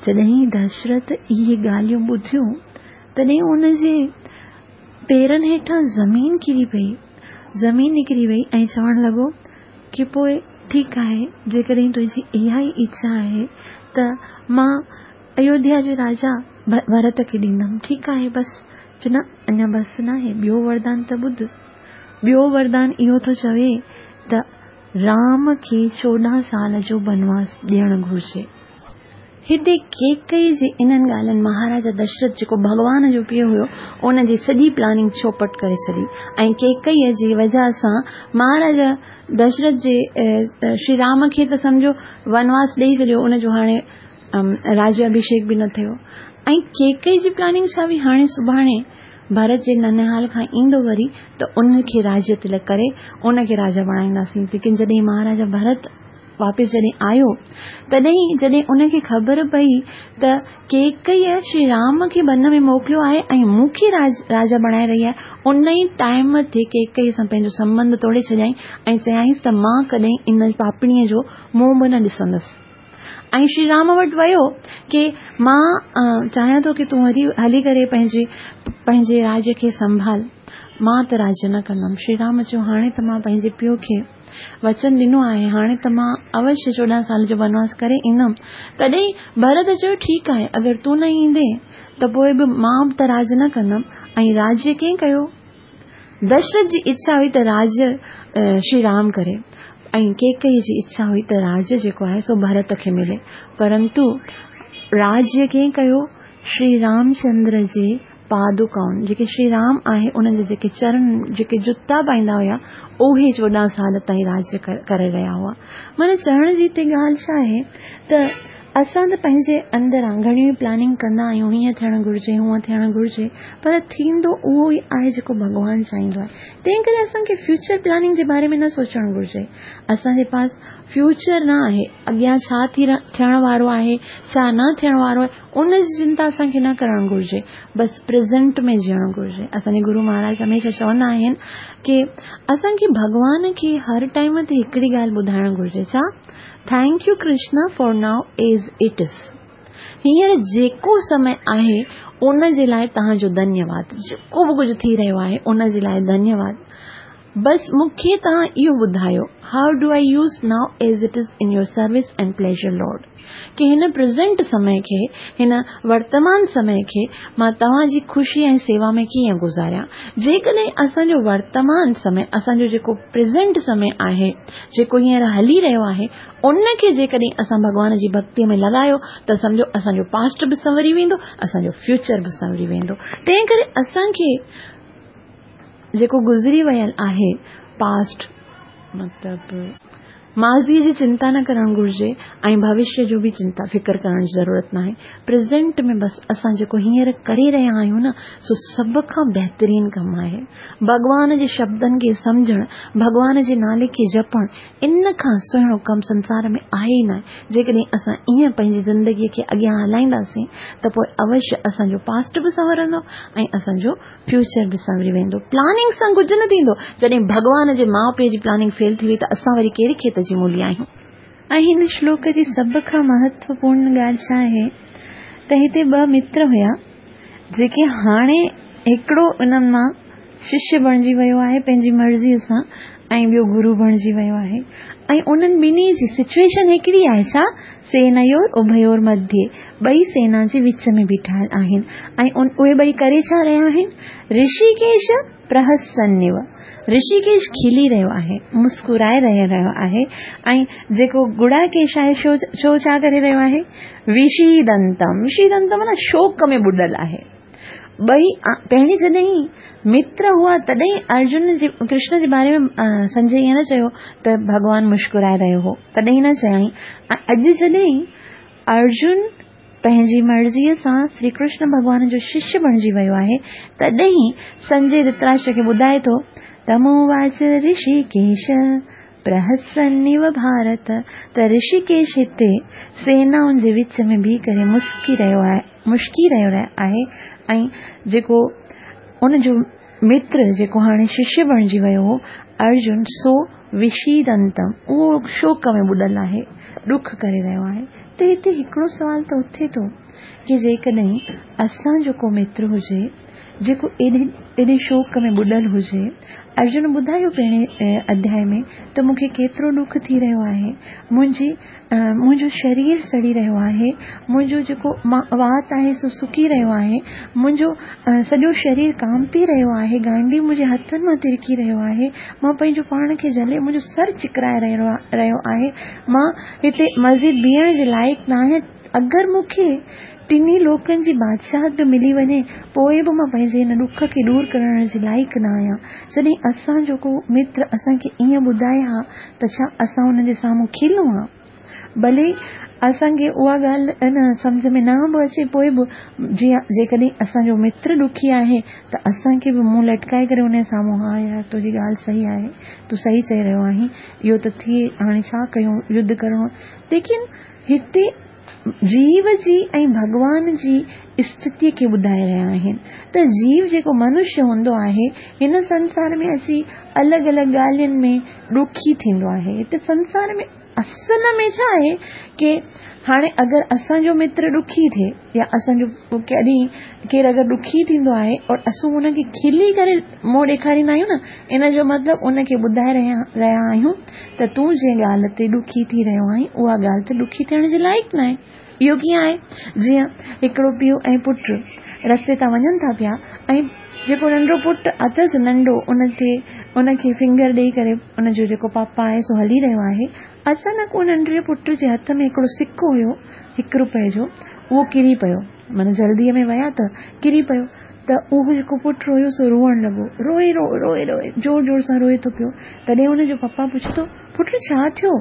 Speaker 1: जॾहिं दशरथ इहे ॻाल्हियूं ॿुधियूं तॾहिं उनजे पेरनि हेठां ज़मीन किरी पई, ज़मीन निकिरी वई ऐं चवणु लॻो की पोइ ठीकु आहे, जेकॾहिं तुंहिंजी इहा ई इच्छा आहे त मां अयोध्या जो राजा भरत खे ॾींदमि, ठीकु आहे बसि। चए न, अञा बसि न आहे, ॿियो वरदान त ॿुध। ॿियो वरदान इहो थो चवे त राम खे चोॾहं साल जो बनवास ॾियणु घुरिजे। हिते केकई जे इन्हनि ॻाल्हियुनि महाराजा दशरथ जेको भॻवान जो पीउ हुयो उनजी सॼी प्लानिंग चौपट करे छॾी ऐं केकईअ जी वजह सां महाराजा दशरथ जे श्री राम खे त सम्झो वनवास ॾेई छॾियो, उनजो हाणे राज्य अभिषेक बि न थियो। ऐं केकई जी प्लानिंग छा हुई, हाणे सुभाणे भरत जे ननिहाल खां ईंदो वरी त उनखे राज्य तिलक करे उनखे राजा बणाईंदासीं। लेकिन जॾहिं महाराजा भरत वापसि जॾहिं आयो तॾहिं जॾहिं उनखे ख़बर पई त केकईअ श्री राम खे बन में मोकिलियो आहे ऐं मूंखे राज, राजा बणाए रही आहे, उन ई टाइम ते केकई सां पंहिंजो संबंध तोड़े छॾियाईं ऐं चयाईंसि त मां कॾहिं इन पापिणीअ जो मुंहुं बि न ॾिसंदुसि। ऐं श्री राम वटि वियो की मां चाहियां थो की तूं वरी हली करे पंहिंजे पंहिंजे राज्य खे संभाल, मां त राज्य न कंदमि। श्री राम चयो हाणे त मां पंहिंजे पीउ खे वचन ॾिनो आहे, हाणे त मां अवश्य चोॾहं साल जो बनवास करे ईंदमि। तॾहिं भरत चयो ठीकु आहे, अगरि तूं न ईंदे त पोइ बि मां त राज न कंदमि। ऐं राज्य कंहिं कयो? दशरथ जी इच्छा हुई त राज्य श्री राम करे ऐं केकई जी इच्छा हुई त राज्य जेको आहे सो भरत खे मिले, परंतु राज्य कंहिं कयो? श्री रामचंद्र जे पादुकाउनि, जेके श्री राम आहे उन्हनि जे जेके चरण जेके जुता पाईंदा हुया उहे चोॾहं साल ताईं राज्य करे रहिया हुआ। माना चवण जी हिते ॻाल्हि छा आहे त असां त पंहिंजे अंदरां घणियूं ई प्लानिंग कंदा आहियूं, हीअं थियणु घुरिजे हूअं थियणु घुरिजे, पर थींदो उहो ई आहे जेको भॻवानु चाहींदो आहे। तंहिं करे असांखे फ्यूचर प्लानिंग जे बारे में न सोचणु घुरिजे। असांजे पास फ्यूचर न आहे, अॻियां छा थी थियण वारो आहे छा न थियण वारो आहे उन जी चिंता असांखे न करणु घुरिजे, बसि प्रेज़ेंट में जीअणु घुरिजे। असांजे गुरू महाराज हमेशह चवंदा आहिनि की असांखे भॻवान खे हर टाइम ते हिकिड़ी ॻाल्हि ॿुधाइणु घुरिजे, छा? Thank you Krishna for now as it is. هينئر جيڪو سمي آهي ان جي لاءِ توهان جو ڌنيواد، جيڪو به ڪجهه ٿي رهيو آهي ان جي لاءِ ڌنيواد. بس مون کي توهان اهو ٻڌايو، how do I use now as it is in your service and pleasure Lord, ڪه هن پريزنٽ سمي کي، هن ورتمان سمي کي مان توهان جي خوشي ۽ سيوا ۾ ڪيئن گذاريان. جيڪڏهن اسان جو ورتمان سمي، اسان جو جيڪو پريزنٽ سمي آهي، جيڪو هينئر هلي رهيو آهي، ان کي جيڪڏهن اسان ڀڳوان جي ڀڳتيء ۾ لڳايو ته سمجهو اسان جو پاسٽ به سنوري ويندو، اسان جو فيوچر به سنوري ويندو. تنهن ڪري اسان کي جيڪو گذري ويل آهي پاسٽ، مطلب ماضيءَ جي چنتا نه ڪرڻ گهرجي ۽ ڀوشيه جو به چنتا فڪر ڪرڻ جي ضرورت ناهي. پريزنٽ ۾ بس اسان جيڪو هينئر ڪري رهيا آهيون نه، سو سڀ کان بهترين ڪم آهي. ڀڳوان جي شبدن کي سمجهڻ، ڀڳوان جي نالي کي جپڻ، ان کان سهڻو ڪم سنسار ۾ آهي ئي نه. جيڪڏهن اسان ائين پنهنجي زندگيءَ کي اڳيان هلائينداسين ته پوءِ اوشيه اسان جو پاسٽ به سنورندو ۽ اسان جو فيوچر به سنوري ويندو. پلاننگ سان ڪجهه نه ٿيندو. جڏهن ڀڳوان جي ماءُ پيءُ جي پلاننگ فيل ٿي وئي ته اسان وري ڪهڙي کيت جي مولي آهيون. ۽ هن شلوڪ جي سڀ کان مهتوپورڻ ڳالهه ڇا آهي ته هتي ٻه متر هئا، جيڪي هاڻي هڪڙو انهن مان ششيه بڻجي ويو آهي پنهنجي مرضيءَ سان ۽ ٻيو گرو بڻجي ويو آهي، ۽ انهن ٻنهي جي سچوئيشن هڪڙي آهي. ڇا؟ سينيور اڀيور مڌيه، ٻئي سينا جي وچ ۾ بيٺا آهن ۽ اهي ٻئي ڪري ڇا رهيا آهن؟ رشيڪيش پرهسنيو، رشيڪيش کلي رهيو آهي، مسڪرائي رهيو آهي، ۽ جيڪو گڙاڪيش آهي شو شو ڇا ڪري رهيو آهي؟ وشيدنتم، وشيدنتم معنيٰ شوڪ ۾ ٻڏل آهي. ٻئي پهرين جڏهن متر هئا تڏهن ارجن جي ڪرشن جي باري ۾ سنجي ائين نه چيو ته ڀڳوان مسڪرائي رهيو هو، تڏهن نه چيائين. ۽ اڄ جڏهن ارجن پنهنجي مرضيءَ سان شري ڪرشن ڀڳوان جو ششيه بڻجي ويو آهي، تڏهن سنجي ڌرتراشٽر کي ٻڌائي ٿو، تموواچ رشيڪيش پرهسنيو ڀارت، ته رشيڪيش هتي سينائن جي وچ ۾ بيهي ڪري مسڪي رهيو آهي، مشڪي رهيو آهي، ۽ جيڪو ان جو متر جيڪو هاڻي ششيه بڻجي ويو هو ارجن، سو وشيدنتم، اهو شوڪ ۾ ٻڏل آهي، ڏک ڪري رهيو آهي. ته هتي هڪڙو سوال ته اٿي ٿو ڪه جيڪڏهن اسان جو ڪو متر هجي جيڪو ايڏي ايڏي شوڪ ۾ ٻڏل هجي، ارجن ٻڌايو پهرين اڌياءِ ۾ ته مون کي ڪيترو ڏک ٿي رهيو آهي، منهنجي منهنجو شرير سڙي رهيو آهي، منهنجو جيڪو وات آهي سو سڪي رهيو آهي، منهنجو سڄو شرير ڪانپي رهيو آهي، گانڊي منهنجي هٿن مان ترڪي رهيو آهي، مان پنهنجو پاڻ کي جهلي منهنجو سر چڪرائي رهيو رهيو آهي، مان هتي مزيد بيهڻ جي لائق نه آهيان. اگر مون کي ٽنهي لوڪن جي بادشاهت به ملي وڃي پوءِ به مان پنهنجي هن ڏک کي دور ڪرڻ جي لائق نه آهيان. جڏهن اسان جو ڪو متر اسان کي ائين ٻڌائي ها ته ڇا اسان هن جي سامهون کلون ها؟ ڀلي اسان کي اها ڳالهه نه سمجهه ۾ نه به اچي، پوءِ به جيئن جيڪڏهن اسان جو متر ڏکي آهي ته اسان کي به منهن لٽڪائي ڪري هن جي سامهون، ها يار تنهنجي ڳالهه صحيح آهي، تون صحيح چئي رهيو آهين، اهو ته ٿئي، هاڻي ڇا ڪيون، يڌ ڪرڻو. ليڪن هتي جيو جي ۽ ڀڳوان جي اسٿتيءَ کي ٻڌائي رهيا آهن ته جيو جيڪو منشيه هوندو آهي هن سنسار ۾ اچي الڳ الڳ ڳالهين ۾ ڏکي ٿيندو آهي. هتي سنسار ۾ اصل ۾ ڇا آهي ڪه هاڻي اگر اسان جو متر ڏکي ٿئي يا اسان جو ڪڏهن ڪير اگر ڏکي ٿيندو آهي اور اسان هن کي کلي ڪري منهن ڏيکاريندا آهيون نه، ان جو مطلب ان کي ٻڌائي رهيا رهيا آهيون ته تون جنهن ڳالهه تي ڏکي ٿي رهيو آهين اها ڳالهه ته ڏکي ٿيڻ جي لائق نه آهي. اهو ڪيئن آهي؟ جيئن هڪڙو پيءُ ۽ پٽ رستي تان وڃن ٿا پيا ۽ جيڪو ننڍو پٽ اٿس ننڍو، ان تي ان کي فنگر ڏيئي ڪري ان جو جيڪو پاپا آهي سو هلي رهيو آهي. اچانڪ اهو ننڍڙي پٽ جي هٿ ۾ هڪڙو سڪو هيو هڪ رپئي جو، اهو ڪري پيو، معنيٰ جلديءَ ۾ ويا ته ڪري پيو. ته اهو جيڪو پٽ هيو سو روئڻ لڳو، روئي روئي روئي روئي زور زور سان روئي ٿو پيو. تڏهن هن جو پپا پڇي ٿو، پٽ ڇا ٿيو؟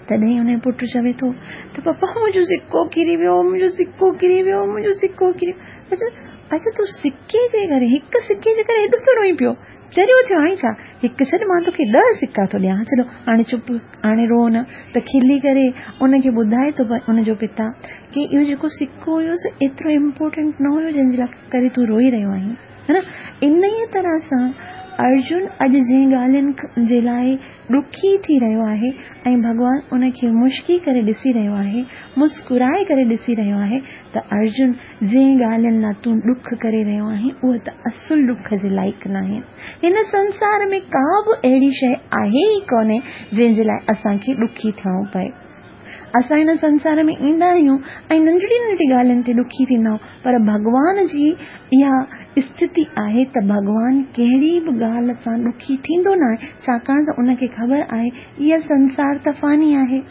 Speaker 1: تڏهن هن جو پٽ چوي ٿو ته پپا منهنجو سڪو ڪري ويو، منهنجو سڪو ڪري ويو، منهنجو سڪو ڪري ويو. اڇا اڇا، تون سڪي جي ڪري، هڪ سڪي جي ڪري هيڏو ٿو روئين پيو، چريو ٿيو آهين ڇا؟ هڪ ڇڏ، مان توکي ڏهه سڪا ٿو ڏيان، چلو هاڻي چپ، هاڻي رو نه. ته کلي ڪري ان کي ٻڌائي ٿو ان جو پتا ڪه اهو جيڪو سڪو هيو سو ايترو امپورٽنٽ نه هيو جنهن جي لاءِ ڪري تون روئي رهيو آهين. ها نه؟ انهيء طرح سان ارجن اڄ جنهن ڳالهين جي لاءِ ڏکي ٿي رهيو آهي ۽ ڀڳوان ان کي مشڪي ڪري ڏسي رهيو آهي، مسڪرائي ڪري ڏسي رهيو آهي ته ارجن جنهن ڳالهين لاءِ تون ڏک ڪري رهيو آهين اهي ته اصل ڏک جي لائق ناهن. هن سنسار ۾ ڪا به اهڙي شيءِ آهي ئي ڪونهي جنهن جي لاءِ اسان کي ڏکي ٿيڻو پئي. اسان هن سنسار ۾ ايندا آهيون ۽ ننڍڙي ننڍڙي ڳالهين تي ڏکي ٿيندا آهيون، پر ڀڳوان جي اها اسٿتي آهي ته ڀڳوان ڪهڙي به ڳالهه سان ڏکي ٿيندو نه آهي، ڇاڪاڻ ته ان کي خبر آهي اها سنسار ته فاني آهي.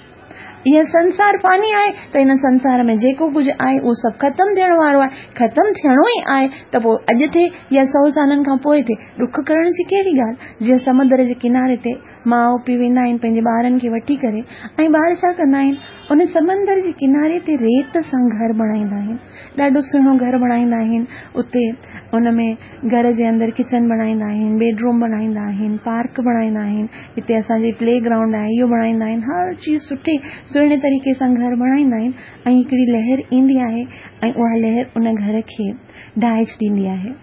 Speaker 1: اها سنسار فاني آهي ته هن سنسار ۾ جيڪو ڪجهه آهي اهو سڀ ختم ٿيڻ وارو آهي، ختم ٿيڻو ئي آهي ته پوءِ اڄ ٿئي يا سؤ سالن کان پوءِ ٿئي، ڏک ڪرڻ جي ڪهڙي ڳالهه؟ جيئن سمندر جي ڪناري تي ماءُ پيءُ ويندا آهن پنهنجي ٻارن کي وٺي ڪري ۽ ٻار ڇا ڪندا آهن، ان سمندر جي ڪناري تي ريت سان گهر بڻائيندا آهن، ڏاڍو سهڻو گهر بڻائيندا آهن. اتي ان ۾ گهر جي اندر ڪچن بڻائيندا آهن، بيڊ روم بڻائيندا آهن، پارڪ بڻائيندا آهن، هتي اسان جي پلي گرائونڊ آهي اهو بڻائيندا آهن، هر چيز سٺي سهڻي طريقي سان گهر بڻائيندا آهن. ۽ هڪڙي لهر ايندي آهي ۽ اها لهر ان گهر کي ڊاهي ڇڏيندي آهي.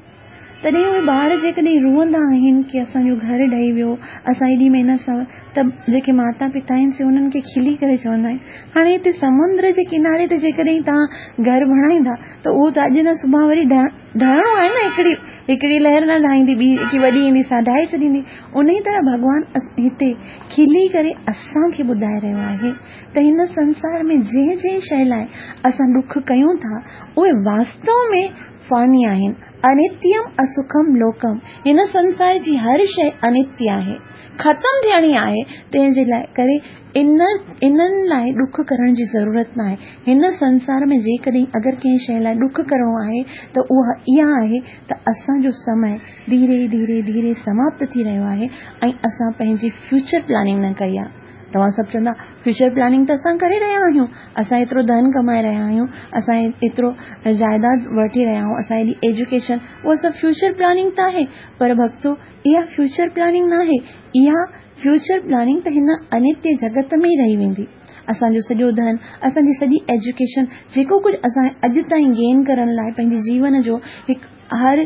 Speaker 1: تڏهن اهي ٻار جيڪڏهن روئندا آهن ڪه اسان جو گهر ڊهي ويو، اسان ايڏي محنت سان، ته جيڪي ماتا پتا آهن سي انهن کي کلي ڪري چوندا آهن هاڻي هتي سمندر جي ڪناري تي جيڪڏهن توهان گهر بڻائيندا ته اهو ته اڄ نه سڀاڻي وري ڊهڻو آهي نه، هڪڙي هڪڙي لهر نه ڊاهيندي، ٻي هڪ وڏي ايندي سا ڊاهي ڇڏيندي. ان ئي طرح ڀڳوان هتي کلي ڪري اسان کي ٻڌائي رهيو آهي ته هن سنسار ۾ جنهن جنهن شيءِ لاءِ اسان ڏک ڪيون ٿا اهي واستو ۾ فاني آهن. انتيم اسکم لوڪم، هن سنسار جي هر شيءِ انتيه آهي، ختم ٿيڻي آهي، تنهن جي لاءِ ڪري ان انهن لاءِ ڏک ڪرڻ جي ضرورت نه آهي. هن سنسار ۾ جيڪڏهن اگر ڪنهن شيءِ لاءِ ڏک ڪرڻو آهي ته اها اها آهي ته اسان جو سمي ڌيري ڌيري ڌيري سماپت ٿي رهيو آهي ۽ اسان پنهنجي فيوچر پلاننگ نه ڪئي آهي. توهان سڀ چوندا فيوچر پلاننگ ته اسان ڪري رهيا آهيون، اسان ايترو ڌن ڪمائي رهيا آهيون، اسان ايترو جائداد وٺي رهيا آهيون، اسان ايڏي ايجوڪيشن، اها سڀ فيوچر پلاننگ ته آهي. پر ڀڳتو اها فيوچر پلاننگ نه آهي، اها فيوچر پلاننگ ته هن انتيه جڳت ۾ ئي رهي ويندي. اسان جو سڄو ڌن، اسان جي سڄي ايجوڪيشن، جيڪو ڪجهه اسان اڄ تائين گين ڪرڻ لاءِ پنهنجي جيون جو هڪ هر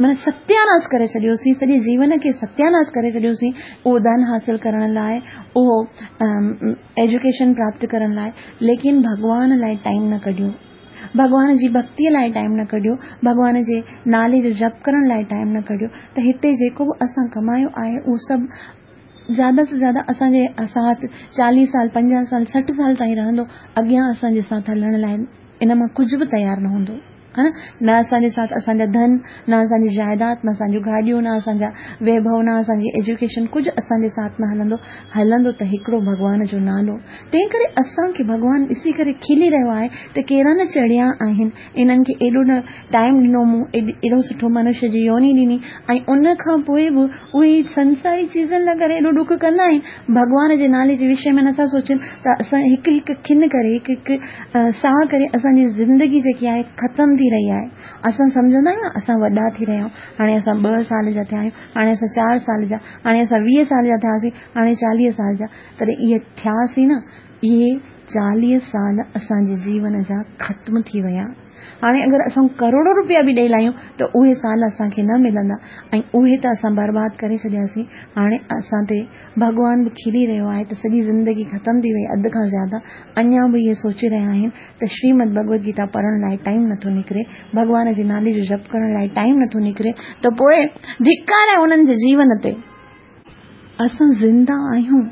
Speaker 1: معنيٰ ستياناس ڪري ڇڏيوسين، سڄي جيون کي ستياناس ڪري ڇڏيوسين اهو ڌن حاصل ڪرڻ لاءِ، اهو ايجوڪيشن پراپت ڪرڻ لاءِ، ليڪن ڀڳوان لاءِ ٽائيم نه ڪڍيو، ڀڳوان جي ڀڪتيءَ لاءِ ٽائيم نه ڪڍيو، ڀڳوان جي نالي جو جپ ڪرڻ لاءِ ٽائيم نه ڪڍيو. ته هتي جيڪو به اسان ڪمايو آهي اهو سڀ زياده سي زياده اسان جي ساٿ چاليهه سال، پنجاهه سال، سٺ سال تائين رهندو، اڳيان اسان جي ساٿ هلڻ لاءِ ان مان ڪجهه به تيار نه هوندو، ها نه؟ نه اسان جي ساٿ اسان جا ڌن، نه اسان جي جائداد، نه اسان جون گاڏيون، نه اسان جا ويڀو، نه اسان جي ايجوڪيشن، ڪجهه اسان جي ساٿ نه هلندو. هلندو ته هڪڙو ڀڳوان جو نالو. تنهن ڪري اسان کي ڀڳوان ڏسي ڪري کلي رهيو آهي ته ڪهڙا نه چڙيا آهن، انهن کي ايڏو نه ٽائيم ڏنو مون، ايڏو سٺو منشيه جي يوني ڏني ۽ ان کان پوءِ به اهي سنساري چيزن لاءِ ڪري ايڏو ڏک ڪندا آهن. ڀڳوان جي نالي جي وشي ۾ نٿا سوچن ته اسان هڪ هڪ کن ڪري، هڪ هڪ ساهه ڪري اسان جي زندگي جيڪي آهي ختم ٿي رهي آهي. اسان سمجهندا آهيون اسان وڏا ٿي رهيا آهيون، هاڻي اسان ٻه سال جا ٿيا آهيون، هاڻي اسان چار سال جا، هاڻي اسان ويهه سال جا ٿياسين، هاڻي چاليهه سال جا. تڏهن اهي ٿياسين نه، اهي چاليهه سال اسان جي جيون جا ختم ٿي ويا. هاڻي اگر اسان ڪروڙو رپيا به ڏيئي لاهيون ته اهي سال اسان کي نه ملندا ۽ اهي ته اسان برباد ڪري ڇڏياسين. هاڻي اسان تي ڀڳوان به کلي رهيو آهي ته سڄي زندگي ختم ٿي وئي، اڌ کان زياده. اڃا به اهي سوچي رهيا آهن ته شريمد ڀڳوت گيتا پڙهڻ لاءِ ٽائيم نٿو نڪري، ڀڳوان جي نالي جو جپ ڪرڻ لاءِ ٽائيم نٿو نڪري، ته پوءِ ڌڪار آهي انهن جي جيون تي. اسان زنده آهيون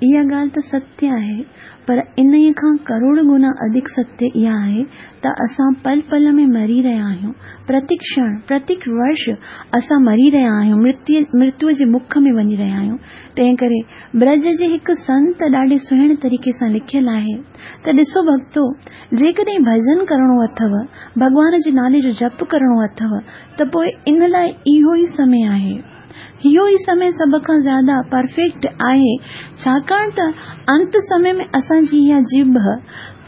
Speaker 1: اها ڳالهه ته ستيه آهي، پر انهيءَ کان ڪروڙ گنا اڌڪ ستيه اها آهي ته اسان پل پل ۾ مري رهيا آهيون. پرتي ڪشڻ، پرتي ورش اسان مري رهيا آهيون، مرتيءَ مرتيءَ جي مک ۾ وڃي رهيا آهيون. تنهن ڪري برج جي هڪ سنت ڏاڍي سهڻي طريقي سان لکيل آهي ته ڏسو ڀڳتو، جيڪڏهن ڀڄن ڪرڻو اٿو، ڀڳوان جي نالي جو جپ ڪرڻو اٿو، ته پوءِ ان لاءِ اهو ئي سمي آهي. اهو ئي سمي سڀ کان زياده پرفيڪٽ آهي، ڇاڪاڻ ته انت سمي ۾ اسان جي اها ڄڀ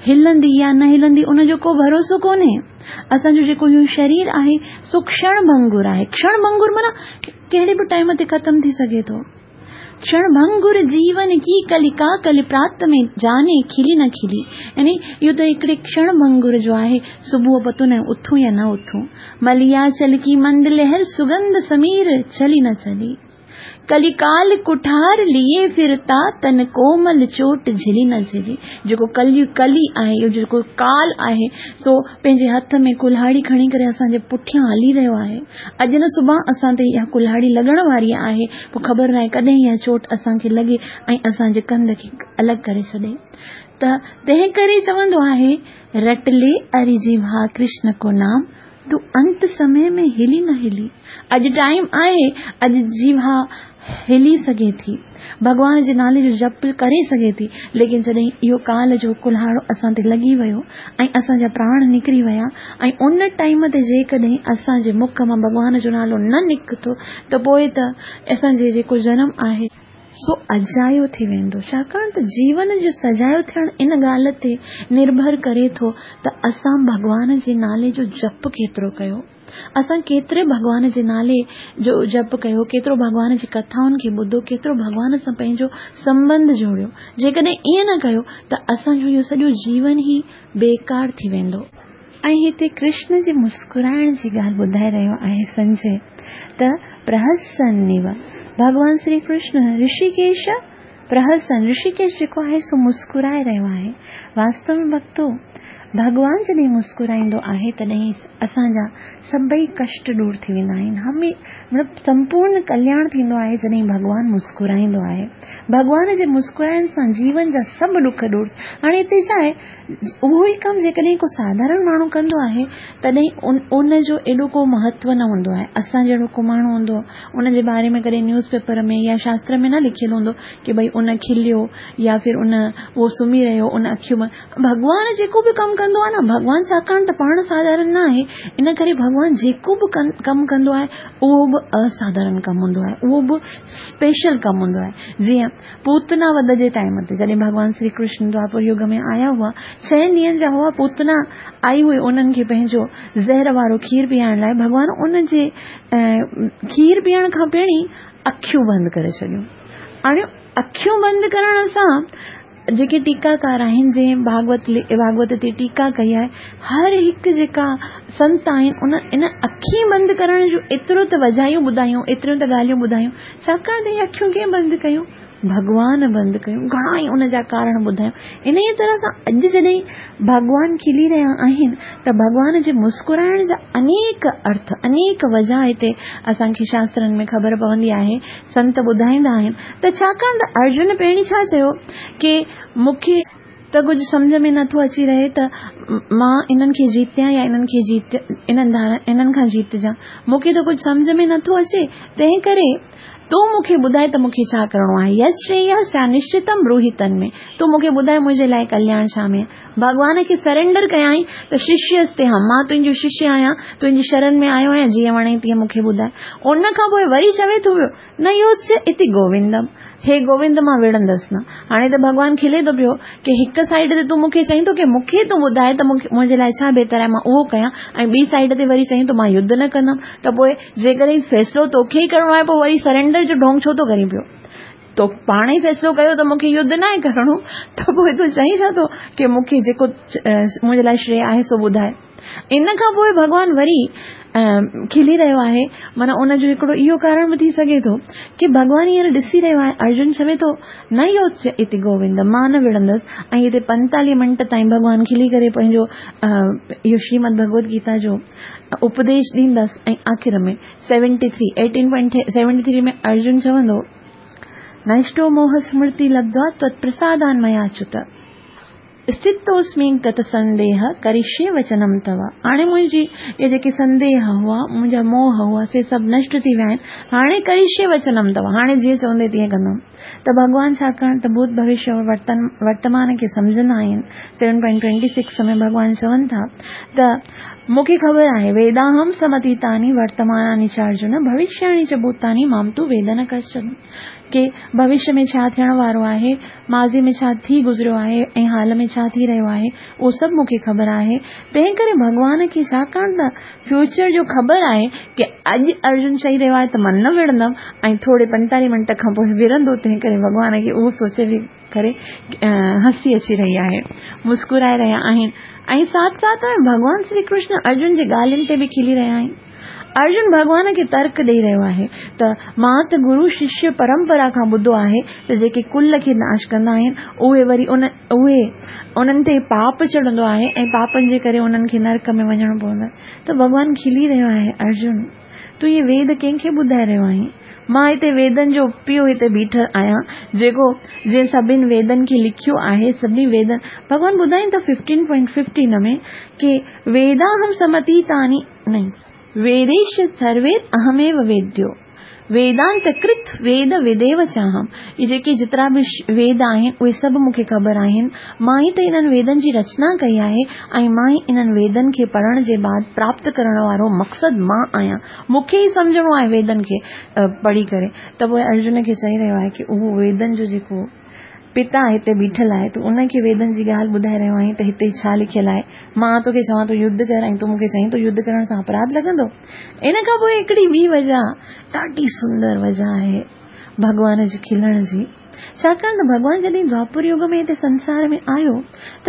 Speaker 1: هلندي يا نه هلندي ان جو ڪو ڀروسو ڪونهي. اسان جو جيڪو اهو شرير آهي سو ڪشڻ ڀنگر آهي. ڪشڻ ڀنگر معنيٰ ڪهڙي به ٽائيم تي ختم ٿي سگهي ٿو. क्षणभंगुर जीवन की कलिका कल प्रात में जाने खिली न खिली। यानी इहो त हिकिड़े क्षणभंगुर जो आहे, सुबुह पतो न उथूं या न उथूं। मलियाचल की मंद लहर सुगंध समीर चली न चली। कलिकाल कुठार लिए फिरता तन कोमल चोट झिली न झिली। जेको कली कली आहे, इहो जेको काल आहे, सो पंहिंजे हथ में कुल्हाड़ी खणी करे असांजे पुठियां हली रहियो आहे। अॼु न सुभाणे असां ते इहा कुल्हाड़ी लॻण वारी आहे, पोइ ख़बर न आहे कॾहिं इहा चोट असांखे लॻे ऐं असांजे कंध खे अलॻि करे छॾे। त तंहिं करे चवंदो आहे, रटले अरि जीवा कृष्ण को नाम, तूं अंत समय में हिली न हिली। अॼु टाइम आहे, अॼु जीवा हिली सघे थी, भॻवान जे नाले जो जप करे सघे थी, लेकिन जॾहिं इहो काल जो कुल्हाड़ो असां ते लॻी वियो ऐं असांजा प्राण निकिरी विया ऐं उन टाइम ते जेकॾहिं असांजे मुख मां भॻवान जो नालो न निकितो त पोइ त असांजे जेको जनम आहे सो अजायो थी वेंदो। छाकाणि त जीवन जो सजायो थियणु इन ॻाल्हि ते निर्भर करे थो त असां भॻवान जे नाले जो जप केतिरो कयो, असां केतिरे भॻवान जे नाले जो जप कयो, केतिरो भॻवान जी कथाउनि खे ॿुधो, केतिरो भॻवान सां पंहिंजो संबंध जोड़ियो। जेकॾहिं ईअं न कयो त असांजो इहो सॼो जीवन ई बेकार थी वेंदो। ऐं हिते कृष्ण जे मुस्कुराइण जी ॻाल्हि ॿुधाए रहियो आहे संजय त प्रहसन्निव, भॻवान श्री कृष्ण ऋषिकेश प्रहसन, ऋषिकेश जेको आहे सो मुस्कुराए रहियो आहे। वास्तव में भक्तो, भॻवान जॾहिं मुस्कुराईंदो आहे तॾहिं असांजा सभई कष्ट दूर थी वेंदा आहिनि, हमें मतिलबु संपूर्ण कल्याण थींदो आहे जॾहिं भॻवान मुस्कुराईंदो आहे। भॻवान जे मुस्कुराइण सां जीवन जा सभु ॾुख दूर। हाणे हिते छा आहे, उहो ई कमु जेकॾहिं को साधारण माण्हू कंदो आहे तॾहिं उन उनजो एॾो को महत्व न हूंदो आहे। असां जहिड़ो को माण्हू हूंदो उनजे बारे में कॾहिं न्यूज़ पेपर में या शास्त्र में न लिखियलु हूंदो की भई उन खिलियो या फिर उन उहो सुम्ही रहियो, उन अखियूं। भॻवान जेको बि कमु कंदो आहे न, भॻवान छाकाणि त पाण साधारण न आहे, इन करे भॻवान जेको बि कमु कंदो आहे उहो बि असाधारण कमु हूंदो आहे, उहो बि स्पेशल कमु हूंदो आहे। जीअं पूतना वध जे टाइम ते जॾहिं भॻवान श्री कृष्ण द्वापर युग में आया हुआ, छह ॾींहनि जा हुआ, पूतना आई हुई उन्हनि खे पंहिंजो ज़हर वारो खीर पीअण लाइ, भॻवान उन जे खीर पीअण खां पहिरीं अखियूं बंदि करे छॾियूं। हाणे अखियूं बंदि करण सां जेके टीकाकार आहिनि, जंहिं भागवत भागवत ते टीका कई आहे, हर हिकु जेका संत आहिनि उन इन अखी बंदि करण जो एतिरो त वजायूं ॿुधायूं, एतिरियूं त ॻाल्हियूं ॿुधायूं, छाकाणि त इहे अखियूं कंहिं बंदि कयूं? भॻवान बंदि कयूं। घणा ई उन जा कारण ॿुधायूं। इन ई तरह सां अॼु जॾहिं भॻवान खिली रहिया आहिनि त भॻवान जे मुस्कुराइण जा अनेक अर्थ, अनेक वजह हिते असांखे शास्त्रनि में ख़बर पवंदी आहे, संत ॿुधाईंदा आहिनि। त छाकाणि त अर्जुन पहिरीं छा चयो की मूंखे त कुझु सम्झ में नथो अची रहे त मां इन्हनि खे जीतियां या इन्हनि खे जीत इन्हनि धारा इन्हनि खां जीतजां, मूंखे त कुझु सम्झ में नथो अचे, तंहिं करे तूं मूंखे ॿुधाए त मूंखे छा करिणो आहे। यश्रेय स्या निश्चितम ब्रूहि तन्मे, तूं मूंखे ॿुधाए मुंहिंजे लाइ कल्याण छा में। भॻवान खे सरेंडर कयाई त शिष्यस्ते हम, मां तुंहिंजो शिष्य आहियां, तुंहिंजी शरण में आयो आहियां, जीअं वणे तीअं मूंखे ॿुधाए। उन खां पोइ वरी चवे थो पियो न योत्स्य इति गोविंदम, हे गोविंद मां विढ़ंदसि न। हाणे त भॻवान खिले थो पियो की हिकु साइड ते तूं मूंखे चई थो की मूंखे तूं ॿुधाए त मूंखे मुंहिंजे लाइ छा बहितर आहे, मां उहो कयां, ऐं ॿी साइड ते वरी चई थो मां युद्ध न कंदमि, त पोइ जेकॾहिं फ़ैसिलो तोखे ई करिणो आहे पोइ वरी सरेंडर जो ढोंग छो थो करीं पियो? तो पाण ई फ़ैसिलो कयो त मूंखे युद्ध न आहे करिणो, त पोइ तूं चई छा थो की मूंखे जेको मुंहिंजे लाइ श्रेय आहे सो ॿुधाए। इन खां पोइ भॻवान वरी खिली रहियो आहे, माना उनजो हिकिड़ो इहो कारण बि थी सघे थो की भॻवान हींअर ॾिसी रहियो आहे, अर्जुन चवे थो न योत्स्य इति गोविंद, मां न विढ़ंदसि। ऐं हिते पंतालीह मिंट ताईं भॻवान खिली करे पंहिंजो इहो श्रीमद भगवत गीता जो उपदेश ॾींदसि। ऐं आख़िर में seventy three eighteen point seventy three में अर्जुन चवंदो नष्टो मोह स्मृति लब्ध्वा त्वत्प्रसादान् मया च्युत स्थितोस्मि गत संदेह करिष्ये वचनम तव। हाणे मुंहिंजी इहे जेके संदेह हुआ, मुंहिंजा मोह हुआ, से सभु नष्ट थी विया आहिनि, हाणे करिष्ये वचनम तव, हाणे जीअं चवंदे तीअं कंदमि। त भॻवान छाकाणि त भूत भविष्य वर्तन वर्तमान खे सम्झंदा आहिनि। सेवन पॉइंट ट्वेंटी सिक्स में भॻवान चवनि था त مون کي خبر آهي، ويداهم سمتيتاني ورتماناني چ ارجن ڀوشياني چ ڀوتاني مام تو ويد نه ڪشچن، ڪي ڀوشيه ۾ ڇا ٿيڻ وارو آهي، ماضي ۾ ڇا ٿي گذريو آهي ۽ حال ۾ ڇا ٿي رهيو آهي، اهو سڀ مون کي خبر آهي. تنهن ڪري ڀڳوان کي ڇاڪاڻ ته فيوچر جو خبر آهي ڪي اڄ ارجن چئي رهيو آهي ته مان نه وڙهندم ۽ ٿوري پنجيتاليهه منٽ کان پوء وڙهندو، تنهن ڪري ڀڳوان کي اهو سوچي به ڪري هسي اچي رهي آهي، مسڪرائي رهيا آهن ۽ ساٿ ساٿ ۾ ڀڳوان شري ڪرشن ارجن جي ڳالهين تي به کلي رهيا آهن. ارجن ڀڳوان کي ترڪ ڏئي رهيو آهي ته مان ته گرو ششيه پرمپرا کان ٻڌو آهي ته جيڪي ڪل کي ناش ڪندا آهن اهي وري ان اهي انهن تي پاپ چڙهندو آهي ۽ پاپن جي ڪري انهن کي نرڪ ۾ وڃڻو پوندو آهي. ته ڀڳوان کلي رهيو آهي، ارجن تون اهي ويد ڪنهن کي ٻڌائي رهيو آهين؟ مان هتي ويدن جو پيء هتي بيٺل آهيان جيڪو جنهن سڀني ويدن کي لکيو آهي، سڀني ويدن ڀڳوان ٻڌائين ٿا ففٽين پوائنٽ ففٽين ۾ ڪي ويداهم سمتيتاني نهين ويديش سروير اهميو ويديو ويدانت ڪرت ويد ويديو چاهم، اهي جيڪي جيترا به ويد آهن اهي سڀ مون کي خبر آهن، مان ئي ته انهن ويدن جي رچنا ڪئي آهي ۽ مان ئي انهن ويدن کي پڙهڻ جي بعد پراپت ڪرڻ وارو مقصد مان آهيان، مون کي ئي سمجهڻو آهي ويدن کي پڙهي ڪري. ته پوء ارجن کي چئي رهيو آهي ڪي اهو ويدن جو جيڪو پتا هتي بيٺل آهي، تون ان کي ويدن جي ڳالهه ٻڌائي رهيو آهين ته هتي ڇا لکيل آهي، مان توکي چوان ٿو يڌ ڪر ۽ تون مون کي چئين ٿو يڌ ڪرڻ سان اپراڌ لڳندو. ان کان پوء هڪڙي ٻي وجهه ڏاڍي سندر وجهه آهي ڀڳوان جي کلڻ جي، ڇاڪاڻ ته ڀڳوان جڏهن دواپر يگ ۾ هتي سنسار ۾ آيو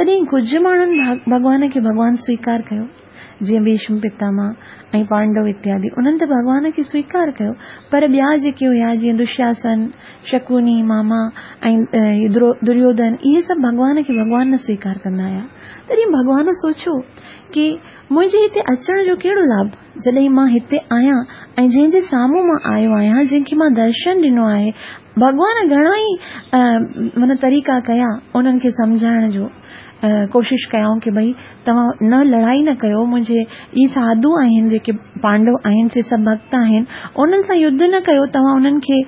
Speaker 1: تڏهن ڪجهه ماڻهن ڀڳوان کي ڀڳوان سويڪار ڪيو، جيئن ڀيشم پتاما ۽ پانڊو اتيادي، انهن ته ڀڳوان کي سويڪار ڪيو، پر ٻيا جيڪي هيا جيئن دشاسن، شڪوني ماما ۽ دريوڌن، اهي سڀ ڀڳوان کي ڀڳوان نه سويڪار ڪندا هيا. تڏهن ڀڳوان سوچيو ڪي منهنجي هتي اچڻ جو ڪهڙو لاڀ، جڏهن مان هتي آهيان ۽ جنهن جي سامهون مان آيو آهيان، جنهن کي مان درشن ڏنو آهي. ڀڳوان گهڻا ئي معنيٰ طريقا ڪيا انهن کي سمجهائڻ جو، ڪوشش ڪيائون ڪي ڀئي توهان نه لڙائي نه ڪيو، منهنجي اهي ساڌو آهن جيڪي پانڊو آهن سي سڀ ڀڳت آهن، انهن سان يڌ نه ڪيو، توهان انهن کي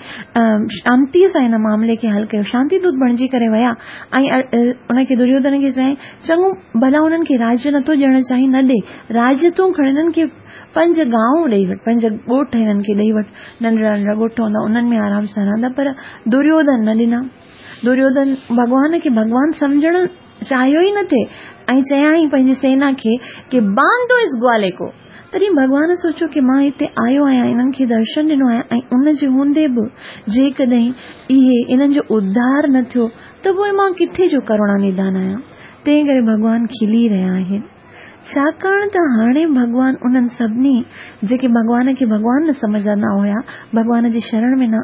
Speaker 1: شانتيء سان هن معاملي کي حل ڪيو. شانتي دوت بڻجي ڪري ويا ۽ ان کي دريوڌن کي چيائين چڱو ڀلا انهن کي راجيه نٿو ڏيڻ چاهين نه ڏي، راجيه تون کڻ، هنن کي پنج گانو ڏيئي وٺ، پنج ڳوٺ هنن کي ڏيئي وٺ، ننڍڙا ننڍڙا ڳوٺ هوندا انهن ۾ آرام سان رهندا. پر دريوڌن نه ڏنا. دريوڌن ڀڳوان کي ڀڳوان سمجهڻ چاهيو ئي نه ٿئي ۽ چيائين پنهنجي سينا کي ڪي باندو اس گوالي ڪو. تڏهن ڀڳوان سوچيو ڪي مان هتي آيو آهيان، انهن کي درشن ڏنو آهي ۽ ان جي هوندي به جيڪڏهن اهي انهن جو اڌار نه ٿيو ته پوء مان ڪٿي جو ڪروڻا نڌان آهيان. تنهن ڪري ڀڳوان کلي رهيا آهن، ڇاڪاڻ ته هاڻي ڀڳوان انهن سڀني جيڪي ڀڳوان کي ڀڳوان نه سمجهندا هيا، ڀڳوان جي شرڻ ۾ نه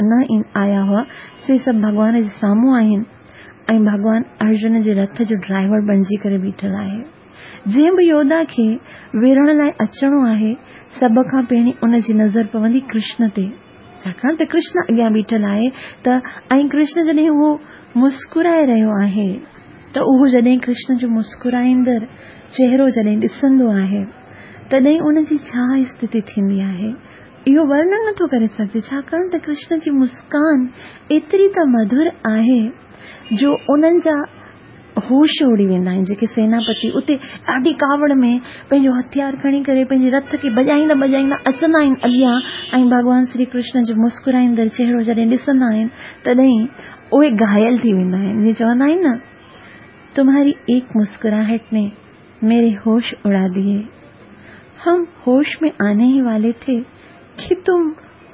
Speaker 1: نه آيا هئا، سي سڀ ڀڳوان جي سامهون آهن ۽ ڀڳوان ارجن جي رٿ جو ڊرائيور بڻجي ڪري بيٺل آهي. جنهن به يوڌا کي وڙهڻ لاء اچڻو آهي، سڀ کان پهرين ان جي نظر پوندي ڪرشن تي، ڇاڪاڻ ته ڪرشن اڳيان بيٺل آهي ته ۽ ڪرشن جڏهن اهو مسڪرائي رهيو آهي ته اهو جڏهن ڪرشن جو مسڪرائيندڙ چهرو جڏهن ڏسندو آهي تڏهن ان جي ڇا اسٿتي ٿيندي آهي اهو ورڻن نٿو ڪري سگهجي، ڇاڪاڻ ته ڪرشن جي مسڪان ايتري ته مڌر آهي جو انهن جا هوش اڙي ويندا آهن. جيڪي سيناپتي اتي ڏاڍي ڪاوڙ ۾ پنهنجو هٿيار کڻي ڪري پنهنجي رٿ کي ڀڄائيندا ڀڄائيندا اچندا آهن اڳيان ۽ ڀڳوان شري ڪرشن جو مسڪرائيندڙ چهرو جڏهن ڏسندا آهن تڏهن اهي گهايل ٿي ويندا آهن. جيئن چوندا آهن نه، تمهاري ايڪ مسڪراهٽ ني ميري هوش اڙا ديي، هم هوش ۾ آني هي والي ٿي ڪي تم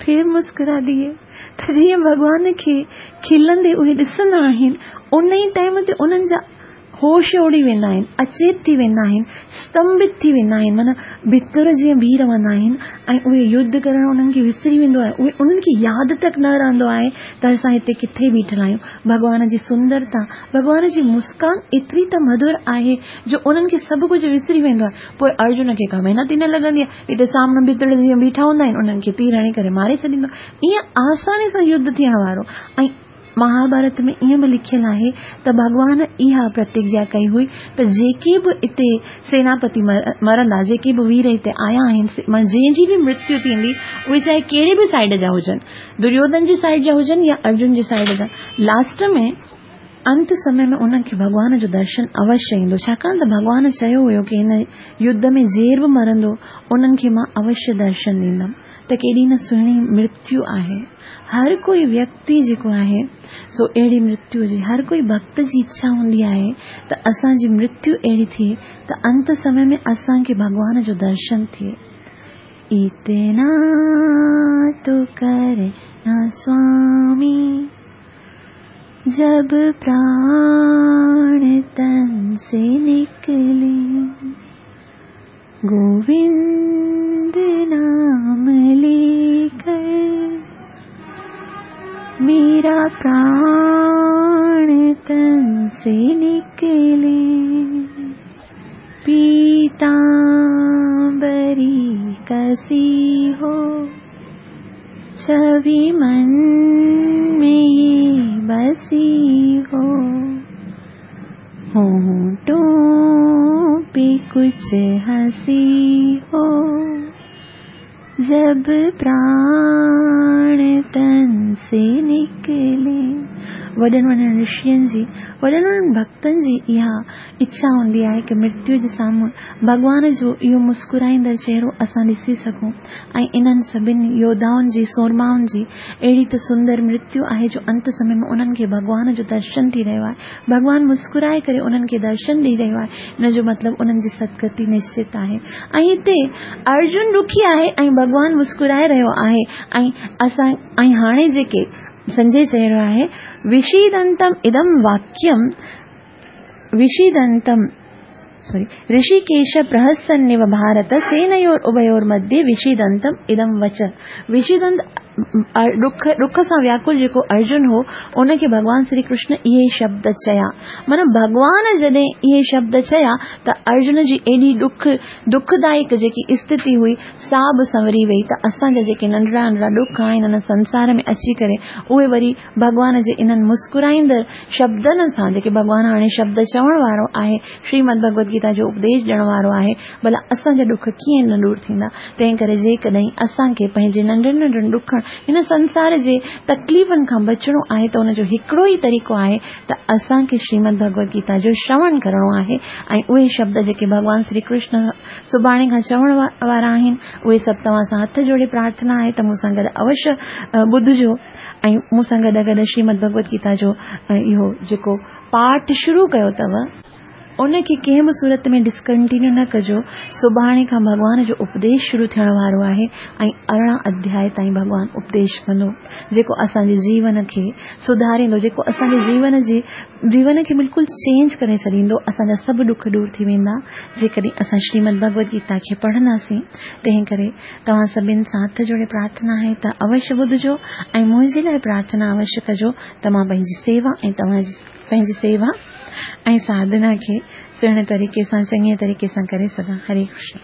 Speaker 1: ڦر مسڪرا ديي. ته جيئن ڀڳوان کي کلندي اهي ڏسندا آهن ان ئي ٽائيم تي انهن جا هوش اڙي ويندا آهن، اچيت ٿي ويندا آهن، ستنڀت ٿي ويندا آهن، معنيٰ ڀتر جيئن بيهي رهندا آهن ۽ اهي يڌ ڪرڻ انهن کي وسري ويندو آهي، اهي انهن کي ياد تڪ نه رهندو آهي ته اسان هتي ڪٿي بيٺل آهيون. ڀڳوان جي سندرتا، ڀڳوان جي مسڪان ايتري ته مڌر آهي جو انهن کي سڀ ڪجهه وسري ويندو آهي. پوء ارجن کي ڪا محنت ئي نه لڳندي آهي، هتي سامهون ڀتڙ جيئن بيٺا هوندا آهن انهن کي تير هڻي ڪري ماري ڇڏيندو آهي. ائين آساني سان يڌ ٿيڻ وارو. ۽ مهاڀارت ۾ ائين به لکيل آهي ته ڀڳوان اها پرتگيا ڪئي هئي ته جيڪي به اتي سيناپتي مرندا، جيڪي به وير هتي آيا آهن، جنهن جي به مرتيو ٿيندي، اهي چاهي ڪهڙي به سائيڊ جا هجن، دريوڌن جي سائيڊ جا هجن يا ارجن جي سائيڊ جا، لاسٽ ۾ انت سمي ۾ انهن کي ڀڳوان جو درشن اوشيه ايندو، ڇاڪاڻ ته ڀڳوان چيو هيو ڪه هن يڌ ۾ جير به مرندو انهن کي مان اوشيه درشن ڏيندم. ته ڪيڏي نه سهڻي مرتيو آهي. هر ڪوئي ويڪتي جيڪو آهي سو اهڙي مرتيو جي هر ڪوئي ڀڪت جي اڇا هوندي آهي ته اسان جي مرتيو اهڙي ٿئي ته انت سمي ۾ اسان کي ڀڳوان جو درشن ٿئي. اتنا تو ڪرنا سوامي جب پراڻ تن سي نڪلي، گووند نام ليڪر ميرا پراڻ تن سي نڪلي. پيتامبري ڪسي هو ڇوي من ۾ يي بسي هو، هونٺون پي ڪڇ هسي هو جب پراڻ تن سي نڪلي. وڏن وڏن رشين جي، وڏن وڏن ڀڪتن جي اها اڇا هوندي آهي ڪه مرتيو جي سامهون ڀڳوان جو اهو مسڪرائيندڙ چهرو اسان ڏسي سگهون. ۽ انهن سڀني يوڌائن جي، سورمائن جي اهڙي ته سندر مرتيو آهي جو انت سمي ۾ انهن کي ڀڳوان جو درشن ٿي رهيو آهي. ڀڳوان مسڪرائي ڪري انهن کي درشن ڏئي رهيو آهي. ان جو مطلب انهن جي سدگتي نشچت آهي. ۽ هتي ارجن ڏکي آهي ۽ ڀڳوان مسڪرائي رهيو آهي. ۽ اسان ۽ هاڻي جيڪي سنجي چئي رهيو آهي، وشيدنتم ادم واڪيم وشيدنتم سوري رشيڪيش پرهسنيو ڀارت سينيور اڀيور مڌيه وشيدنتم ادم وچ. وشيدنت ڏک ڏک سان وياڪل جيڪو ارجن هو ان کي ڀڳوان شري ڪرشن اهي شبد چيا. معنيٰ ڀڳوان جڏهن اهي شبد چيا ته ارجن جي ايڏي ڏک دکدائڪ جيڪي اسٿتي هئي سا به سنوري وئي. ته اسان جا جيڪي ننڍڙا ننڍڙا ڏک آهن هن سنسار ۾ اچي ڪري اهي وري ڀڳوان جي انهن مسڪرائيندڙ شبدن سان جيڪي ڀڳوان هاڻي شبد چوڻ وارو آهي، شريمد ڀڳوت گيتا جو اپديش ڏيڻ وارو آهي، ڀلا اسان جا ڏک ڪيئن نه دور ٿيندا. تنهن ڪري جيڪڏهن اسان کي پنهنجي ننڍڙن ننڍڙن ڏکن هن سنسار جي تڪليفن کان بچڻو آهي ته ان جو هڪڙو ئي طريقو آهي ته اسان کي شريمد ڀڳوت گيتا جو شروڻ ڪرڻو آهي. ۽ اهي شبد جيڪي ڀڳوان شري ڪرشن سڀاڻي کان چوڻ وارا آهن اهي سڀ توهان سان هٿ جوڙي پرارٿنا آهي ته مون سان گڏ اوشيه ٻڌجو ۽ مون سان گڏ گڏ شريمد ڀڳوت گيتا جو اهو جيڪو پاٺ شروع ڪيو اٿو ان کي ڪنهن به صورت ۾ ڊسڪنٽينيو نه ڪجو. سڀاڻي کان ڀڳوان جو اپديش شروع ٿيڻ وارو آهي ۽ ارڙهن اڌياء تائين ڀڳوان اپديش ڪندو جيڪو اسان جي جيون کي سڌاريندو، جيڪو اسان جي جيون جي جيون کي بلڪل چينج ڪري ڇڏيندو. اسان جا سڀ ڏک دور ٿي ويندا جيڪڏهن اسان شريمد ڀڳوت گيتا کي پڙهنداسين. تنهن ڪري توهان سڀني سان هٿ جوڙي پرارٿنا آهي ته اوشيه ٻڌجو ۽ منهنجي لاءِ پرارٿنا اوشيه ڪجو ته مان پنهنجي سيوا ۽ توهان جي پنهنجي سيوا ۽ ساڌنا کي سهڻي طريقي سان چڱي طريقي سان ڪري سگهان. هري ڪرشن.